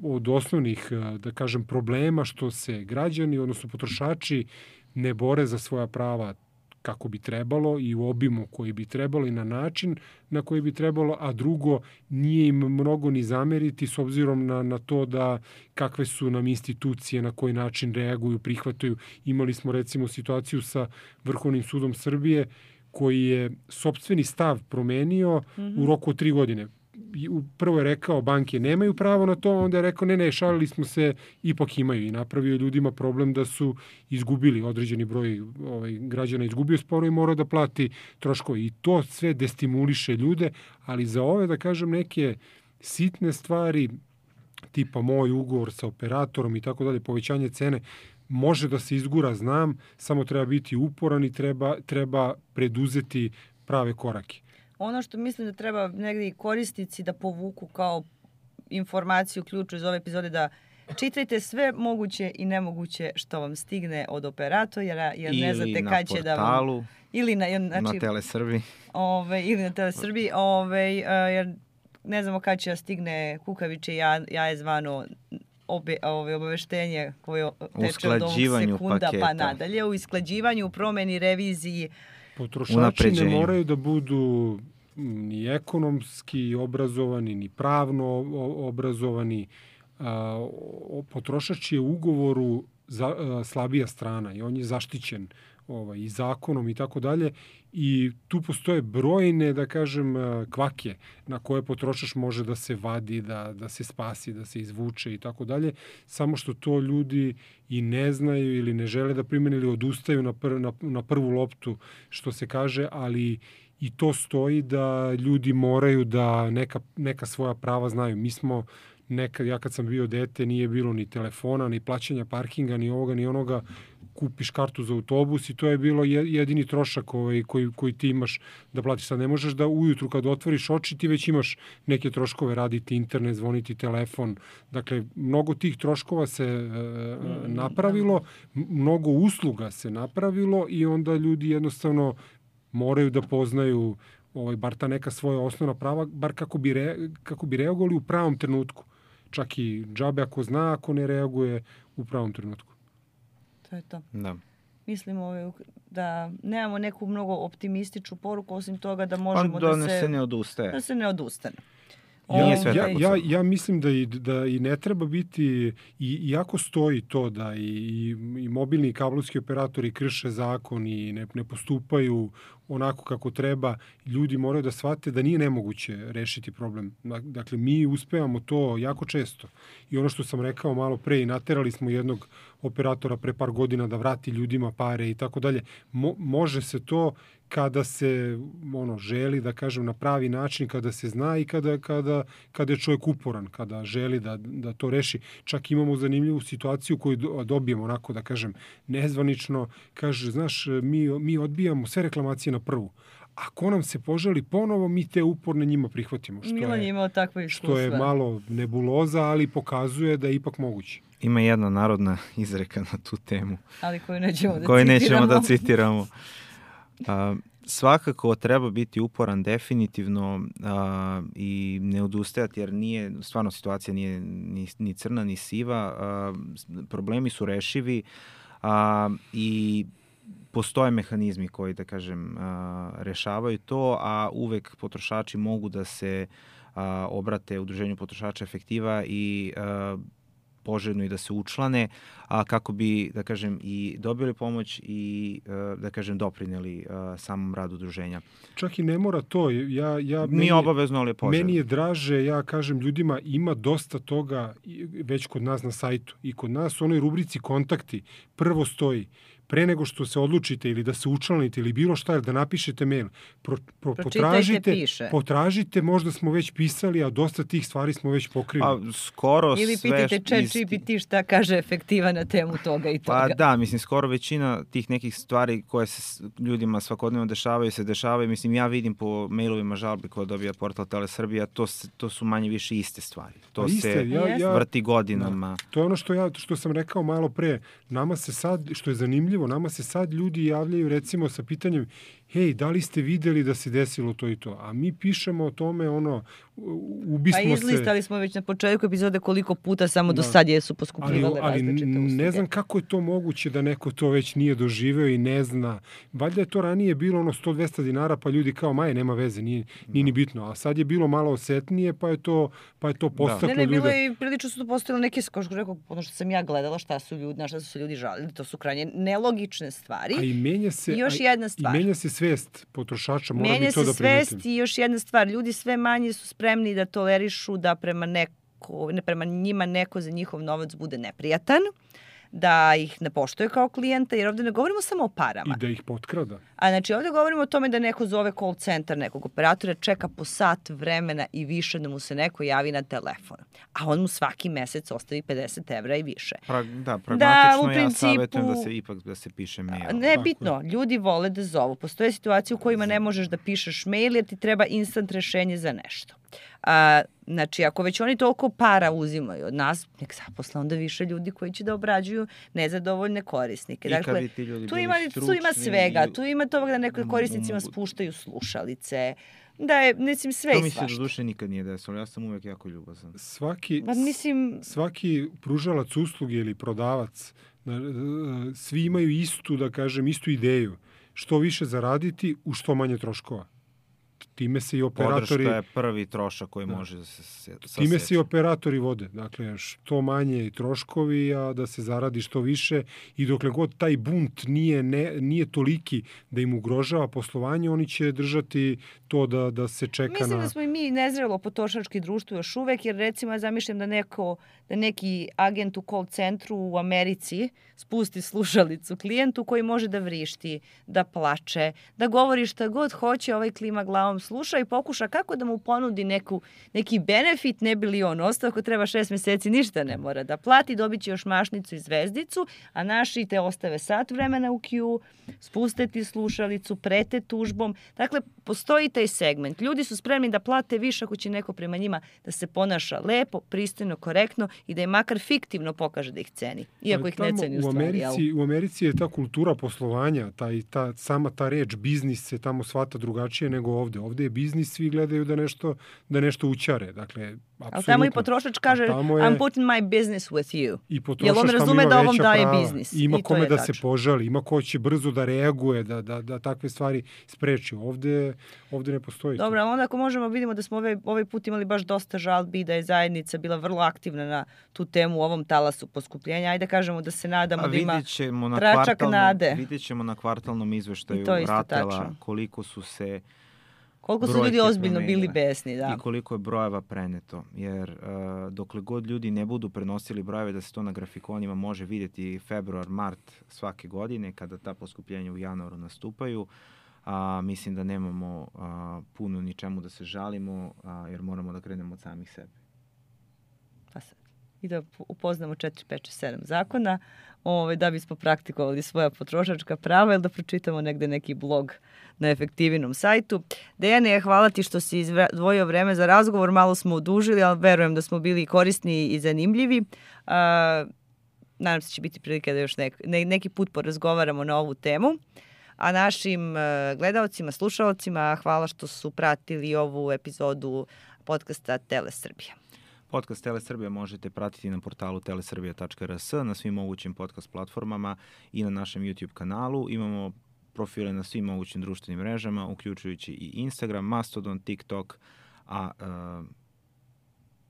od osnovnih, da kažem, problema što se građani, odnosno potrošači, ne bore za svoja prava kako bi trebalo i u obimu koji bi trebalo i na način na koji bi trebalo, a drugo, nije im mnogo ni zameriti s obzirom na, na to da kakve su nam institucije, na koji način reaguju, prihvataju. Imali smo recimo situaciju sa Vrhovnim sudom Srbije koji je sopstveni stav promenio mm-hmm. u roku od tri godine. Prvo je rekao banke nemaju pravo na to, onda je rekao ne, ne, šalili smo se, ipak imaju i napravio ljudima problem da su izgubili određeni broj ovaj, građana, izgubio sporo i morao da plati troškove. I to sve destimuliše ljude, ali za ove, da kažem, neke sitne stvari, tipa moj ugovor sa operatorom i tako dalje, povećanje cene, može da se izgura, znam, samo treba biti uporan i treba, treba preduzeti prave korake. Ono što mislim da treba negdje i korisnici da povuku kao informaciju, ključu iz ove epizode, da čitajte sve moguće i nemoguće što vam stigne od operatora, jer ne znate kad će da vam... Ili ili na portalu, znači, na Telesrbiji. Ove, ili na Telesrbiji, ove, jer ne znamo kad će da stigne kukaviče ja, ja je zvano obe, ove, obaveštenje koje teče od ovog sekunda paketa. Pa nadalje, u isklađivanju, u promeni, reviziji. Potrošači ne moraju da budu ni ekonomski obrazovani, ni pravno obrazovani. Potrošač je u ugovoru za, slabija strana i on je zaštićen ovaj, i zakonom i tako dalje. I tu postoje brojne, da kažem, kvake na koje potrošač može da se vadi, da, da se spasi, da se izvuče i tako dalje. Samo što to ljudi i ne znaju ili ne žele da primene ili odustaju na, pr, na, na prvu loptu, što se kaže, ali i to stoji da ljudi moraju da neka, neka svoja prava znaju. Mi smo nekad, ja kad sam bio dete, nije bilo ni telefona, ni plaćanja parkinga, ni ovoga, ni onoga. Kupiš kartu za autobus i to je bilo jedini trošak ovaj, koji, koji ti imaš da platiš. Sad ne možeš da ujutru kad otvoriš oči ti već imaš neke troškove, raditi internet, zvoniti telefon. Dakle, mnogo tih troškova se e, napravilo, mnogo usluga se napravilo i onda ljudi jednostavno moraju da poznaju ovaj, bar ta neka svoja osnovna prava, bar kako bi, re, kako bi reagovali u pravom trenutku. Čak i džabe ako zna, ako ne reaguje u pravom trenutku. To je to. Da. Mislim ove, da nemamo neku mnogo optimističnu poruku, osim toga da možemo da, da, se, se ne odustane. Da se ne odustane. Ja, ja, ja, ja mislim da i, da i ne treba biti, i, iako stoji to da i, i mobilni i kablovski operatori krše zakon i ne, ne postupaju onako kako treba, ljudi moraju da shvate da nije nemoguće rešiti problem. Dakle, mi uspevamo to jako često. I ono što sam rekao malo pre, i naterali smo jednog operatora pre par godina da vrati ljudima pare i tako dalje. Mo, može se to kada se ono želi, da kažem, na pravi način, kada se zna i kada, kada, kada je čovjek uporan, kada želi da, da to reši. Čak imamo zanimljivu situaciju koju dobijemo, onako da kažem, nezvanično. Kaže, znaš, mi, mi odbijamo sve reklamacije na prvu. Ako nam se poželi ponovo, mi te uporne njima prihvatimo. Što Milan je imao takve iskustva. Što je malo nebuloza, ali pokazuje da je ipak moguće. Ima jedna narodna izreka na tu temu. Ali koju nećemo da koju citiramo. nećemo da citiramo. A, svakako treba biti uporan definitivno a, i ne odustajati, jer nije, stvarno situacija nije ni, ni crna ni siva. A, problemi su rešivi a, i postoje mehanizmi koji, da kažem, a, rešavaju to, a uvek potrošači mogu da se a, obrate Udruženju potrošača Efektiva i a, poželjno i da se učlane, a kako bi, da kažem, i dobili pomoć i, da kažem, doprineli samom radu udruženja. Čak i ne mora to. Ja, ja, Mi meni, obavezno, ali je poželjno. Meni je draže, ja kažem ljudima, ima dosta toga već kod nas na sajtu. I kod nas u onoj rubrici kontakti prvo stoji, pre nego što se odlučite ili da se učlanite ili bilo šta, da napišete mail, pro, pro, potražite, piše. potražite, možda smo već pisali, a dosta tih stvari smo već pokrili. Pa, skoro ili sve... pitajte chat G P T šta kaže Efektiva na temu toga i toga. Pa da, mislim, skoro većina tih nekih stvari koje se ljudima svakodnevno dešavaju, se dešavaju. Mislim, ja vidim po mailovima žalbi koje dobija portal Telesrbija, to, to su manje više iste stvari. To iste, se ja, ja, vrti godinama. Da. To je ono što, ja, što sam rekao malo pre. Nama se sad, što je zanimljivo, nama se sad ljudi javljaju recimo sa pitanjem, hej, da li ste videli da se desilo to i to? A mi pišemo o tome, ono, ubismo se... Pa izlistali smo već na početku epizode koliko puta samo da. do sad jesu poskupljivale ali, različite usluge. Ne znam kako je to moguće da neko to već nije doživeo i ne zna. Valjda je to ranije bilo ono sto do dvesta dinara, pa ljudi kao, maje, nema veze, nije, nije ni bitno. A sad je bilo malo osetnije, pa je to, pa je to postaklo ljude. Ne, ne, ljude. bilo je i prilično su to postavili neke, kao što rekao, ono što sam ja gledala, šta su ljudi, na šta su se ljudi žalili, to su krajnje nelogične stvari. A i menja se, I još a, jedna stvar. I menja se svest potrošača, moram menja i to da primetim. Menja se svest i još jedna stvar, ljudi sve manje su spremni da tolerišu da prema neko, ne prema njima neko za njihov novac bude neprijatan, da ih ne poštuje kao klijenta, jer ovde ne govorimo samo o parama. I da ih potkrada. A znači ovde govorimo o tome da neko zove call centar nekog operatora, čeka po sat vremena i više da mu se neko javi na telefon. A on mu svaki mesec ostavi pedeset evra i više. Pra, da, pragmatično da, ja principu, savjetujem da se ipak da se piše mail. Ne, bitno, ljudi vole da zovu. Postoje situacije u kojima ne možeš da pišeš mail jer ti treba instant rešenje za nešto. A, znači, ako već oni toliko para uzimaju od nas, nek zaposle onda više ljudi koji će da obrađuju nezadovoljne korisnike. I dakle, ti ljudi tu ima, tu ima svega. Tu ima toga da neko korisnicima spuštaju slušalice, da je, mislim, sve to i svašta. To mi se do duše nikad nije desilo. Ja sam uvek jako ljubazan. Svaki, ba, mislim... svaki pružalac usluge ili prodavac, svi imaju istu, da kažem, istu ideju. Što više zaraditi u što manje troškova. Time se i operatori... Podrška je prvi trošak koji da. može da se saseći. Time se i operatori vode. Dakle, što manje i troškovi, a da se zaradi što više. I dokle god taj bunt nije, ne, nije toliki da im ugrožava poslovanje, oni će držati to da, da se čeka Mislim na... Mislim da smo i mi nezrelo potrošački društvo još uvek, jer recimo ja zamišljam da, neko, da neki agent u call centru u Americi spusti slušalicu klijentu koji može da vrišti, da plače, da govori šta god hoće, ovaj klima glavom sluša i pokuša kako da mu ponudi neku, neki benefit, ne bi li on ostao, ako treba šest meseci ništa ne mora da plati, dobit će još mašnicu i zvezdicu, a naši te ostave sat vremena u queue, spuste ti slušalicu, prete tužbom. Dakle, postoji taj segment. Ljudi su spremni da plate više ako će neko prema njima da se ponaša lepo, pristojno, korektno i da je makar fiktivno pokaže da ih ceni. Iako ih ne ceni u stvari. U Americi, u Americi je ta kultura poslovanja, ta, i ta, sama ta reč biznis se tamo shvata drugačije nego ovde. Ovde je biznis, svi gledaju da nešto, da nešto učare. Dakle, apsolutno. Ali tamo i potrošač kaže, je, I'm putting my business with you. I potrošač on razume da ovom daje prava, biznis. Ima I kome da tačno. se požali, ima ko će brzo da reaguje, da, da, da takve stvari spreči. Ovde, ovde ne postoji. Dobro, onda ako možemo vidimo da smo ovaj, ovaj put imali baš dosta žalbi, da je zajednica bila vrlo aktivna na tu temu u ovom talasu poskupljenja. Ajde kažemo da se nadamo da ima tračak nade. Vidjet ćemo na kvartalnom izveštaju Ratela tačno. koliko su se Koliko su ljudi ozbiljno bili besni, da. I koliko je brojeva preneto. Jer uh, dokle god ljudi ne budu prenosili brojeve da se to na grafikonima može vidjeti februar, mart svake godine kada ta poskupljenja u januaru nastupaju, a, mislim da nemamo a, puno ničemu da se žalimo a, jer moramo da krenemo od samih sebe. Pa sad. I da upoznamo četiri, pet, sedam zakona ovaj, da bismo praktikovali svoja potrošačka prava ili da pročitamo negde neki blog na Efektivinom sajtu. Dejane, hvala ti što si izdvojio vreme za razgovor. Malo smo odužili, ali verujem da smo bili korisni i zanimljivi. A, nadam se će biti prilike da još nek, ne, neki put porazgovaramo na ovu temu. A našim gledaocima, slušaocima, hvala što su pratili ovu epizodu podcasta Telesrbija. Podcast Telesrbija možete pratiti na portalu teleserbija tačka r s, na svim mogućim podcast platformama i na našem YouTube kanalu. Imamo profile na svim mogućim društvenim mrežama, uključujući i Instagram, Mastodon, TikTok, a... Uh,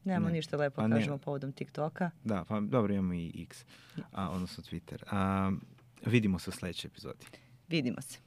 Nemamo ne, ništa lepo pa kažemo ne, povodom TikToka. Da, pa dobro, imamo i X, a, odnosno Twitter. A, vidimo se u sledećoj epizodi. Vidimo se.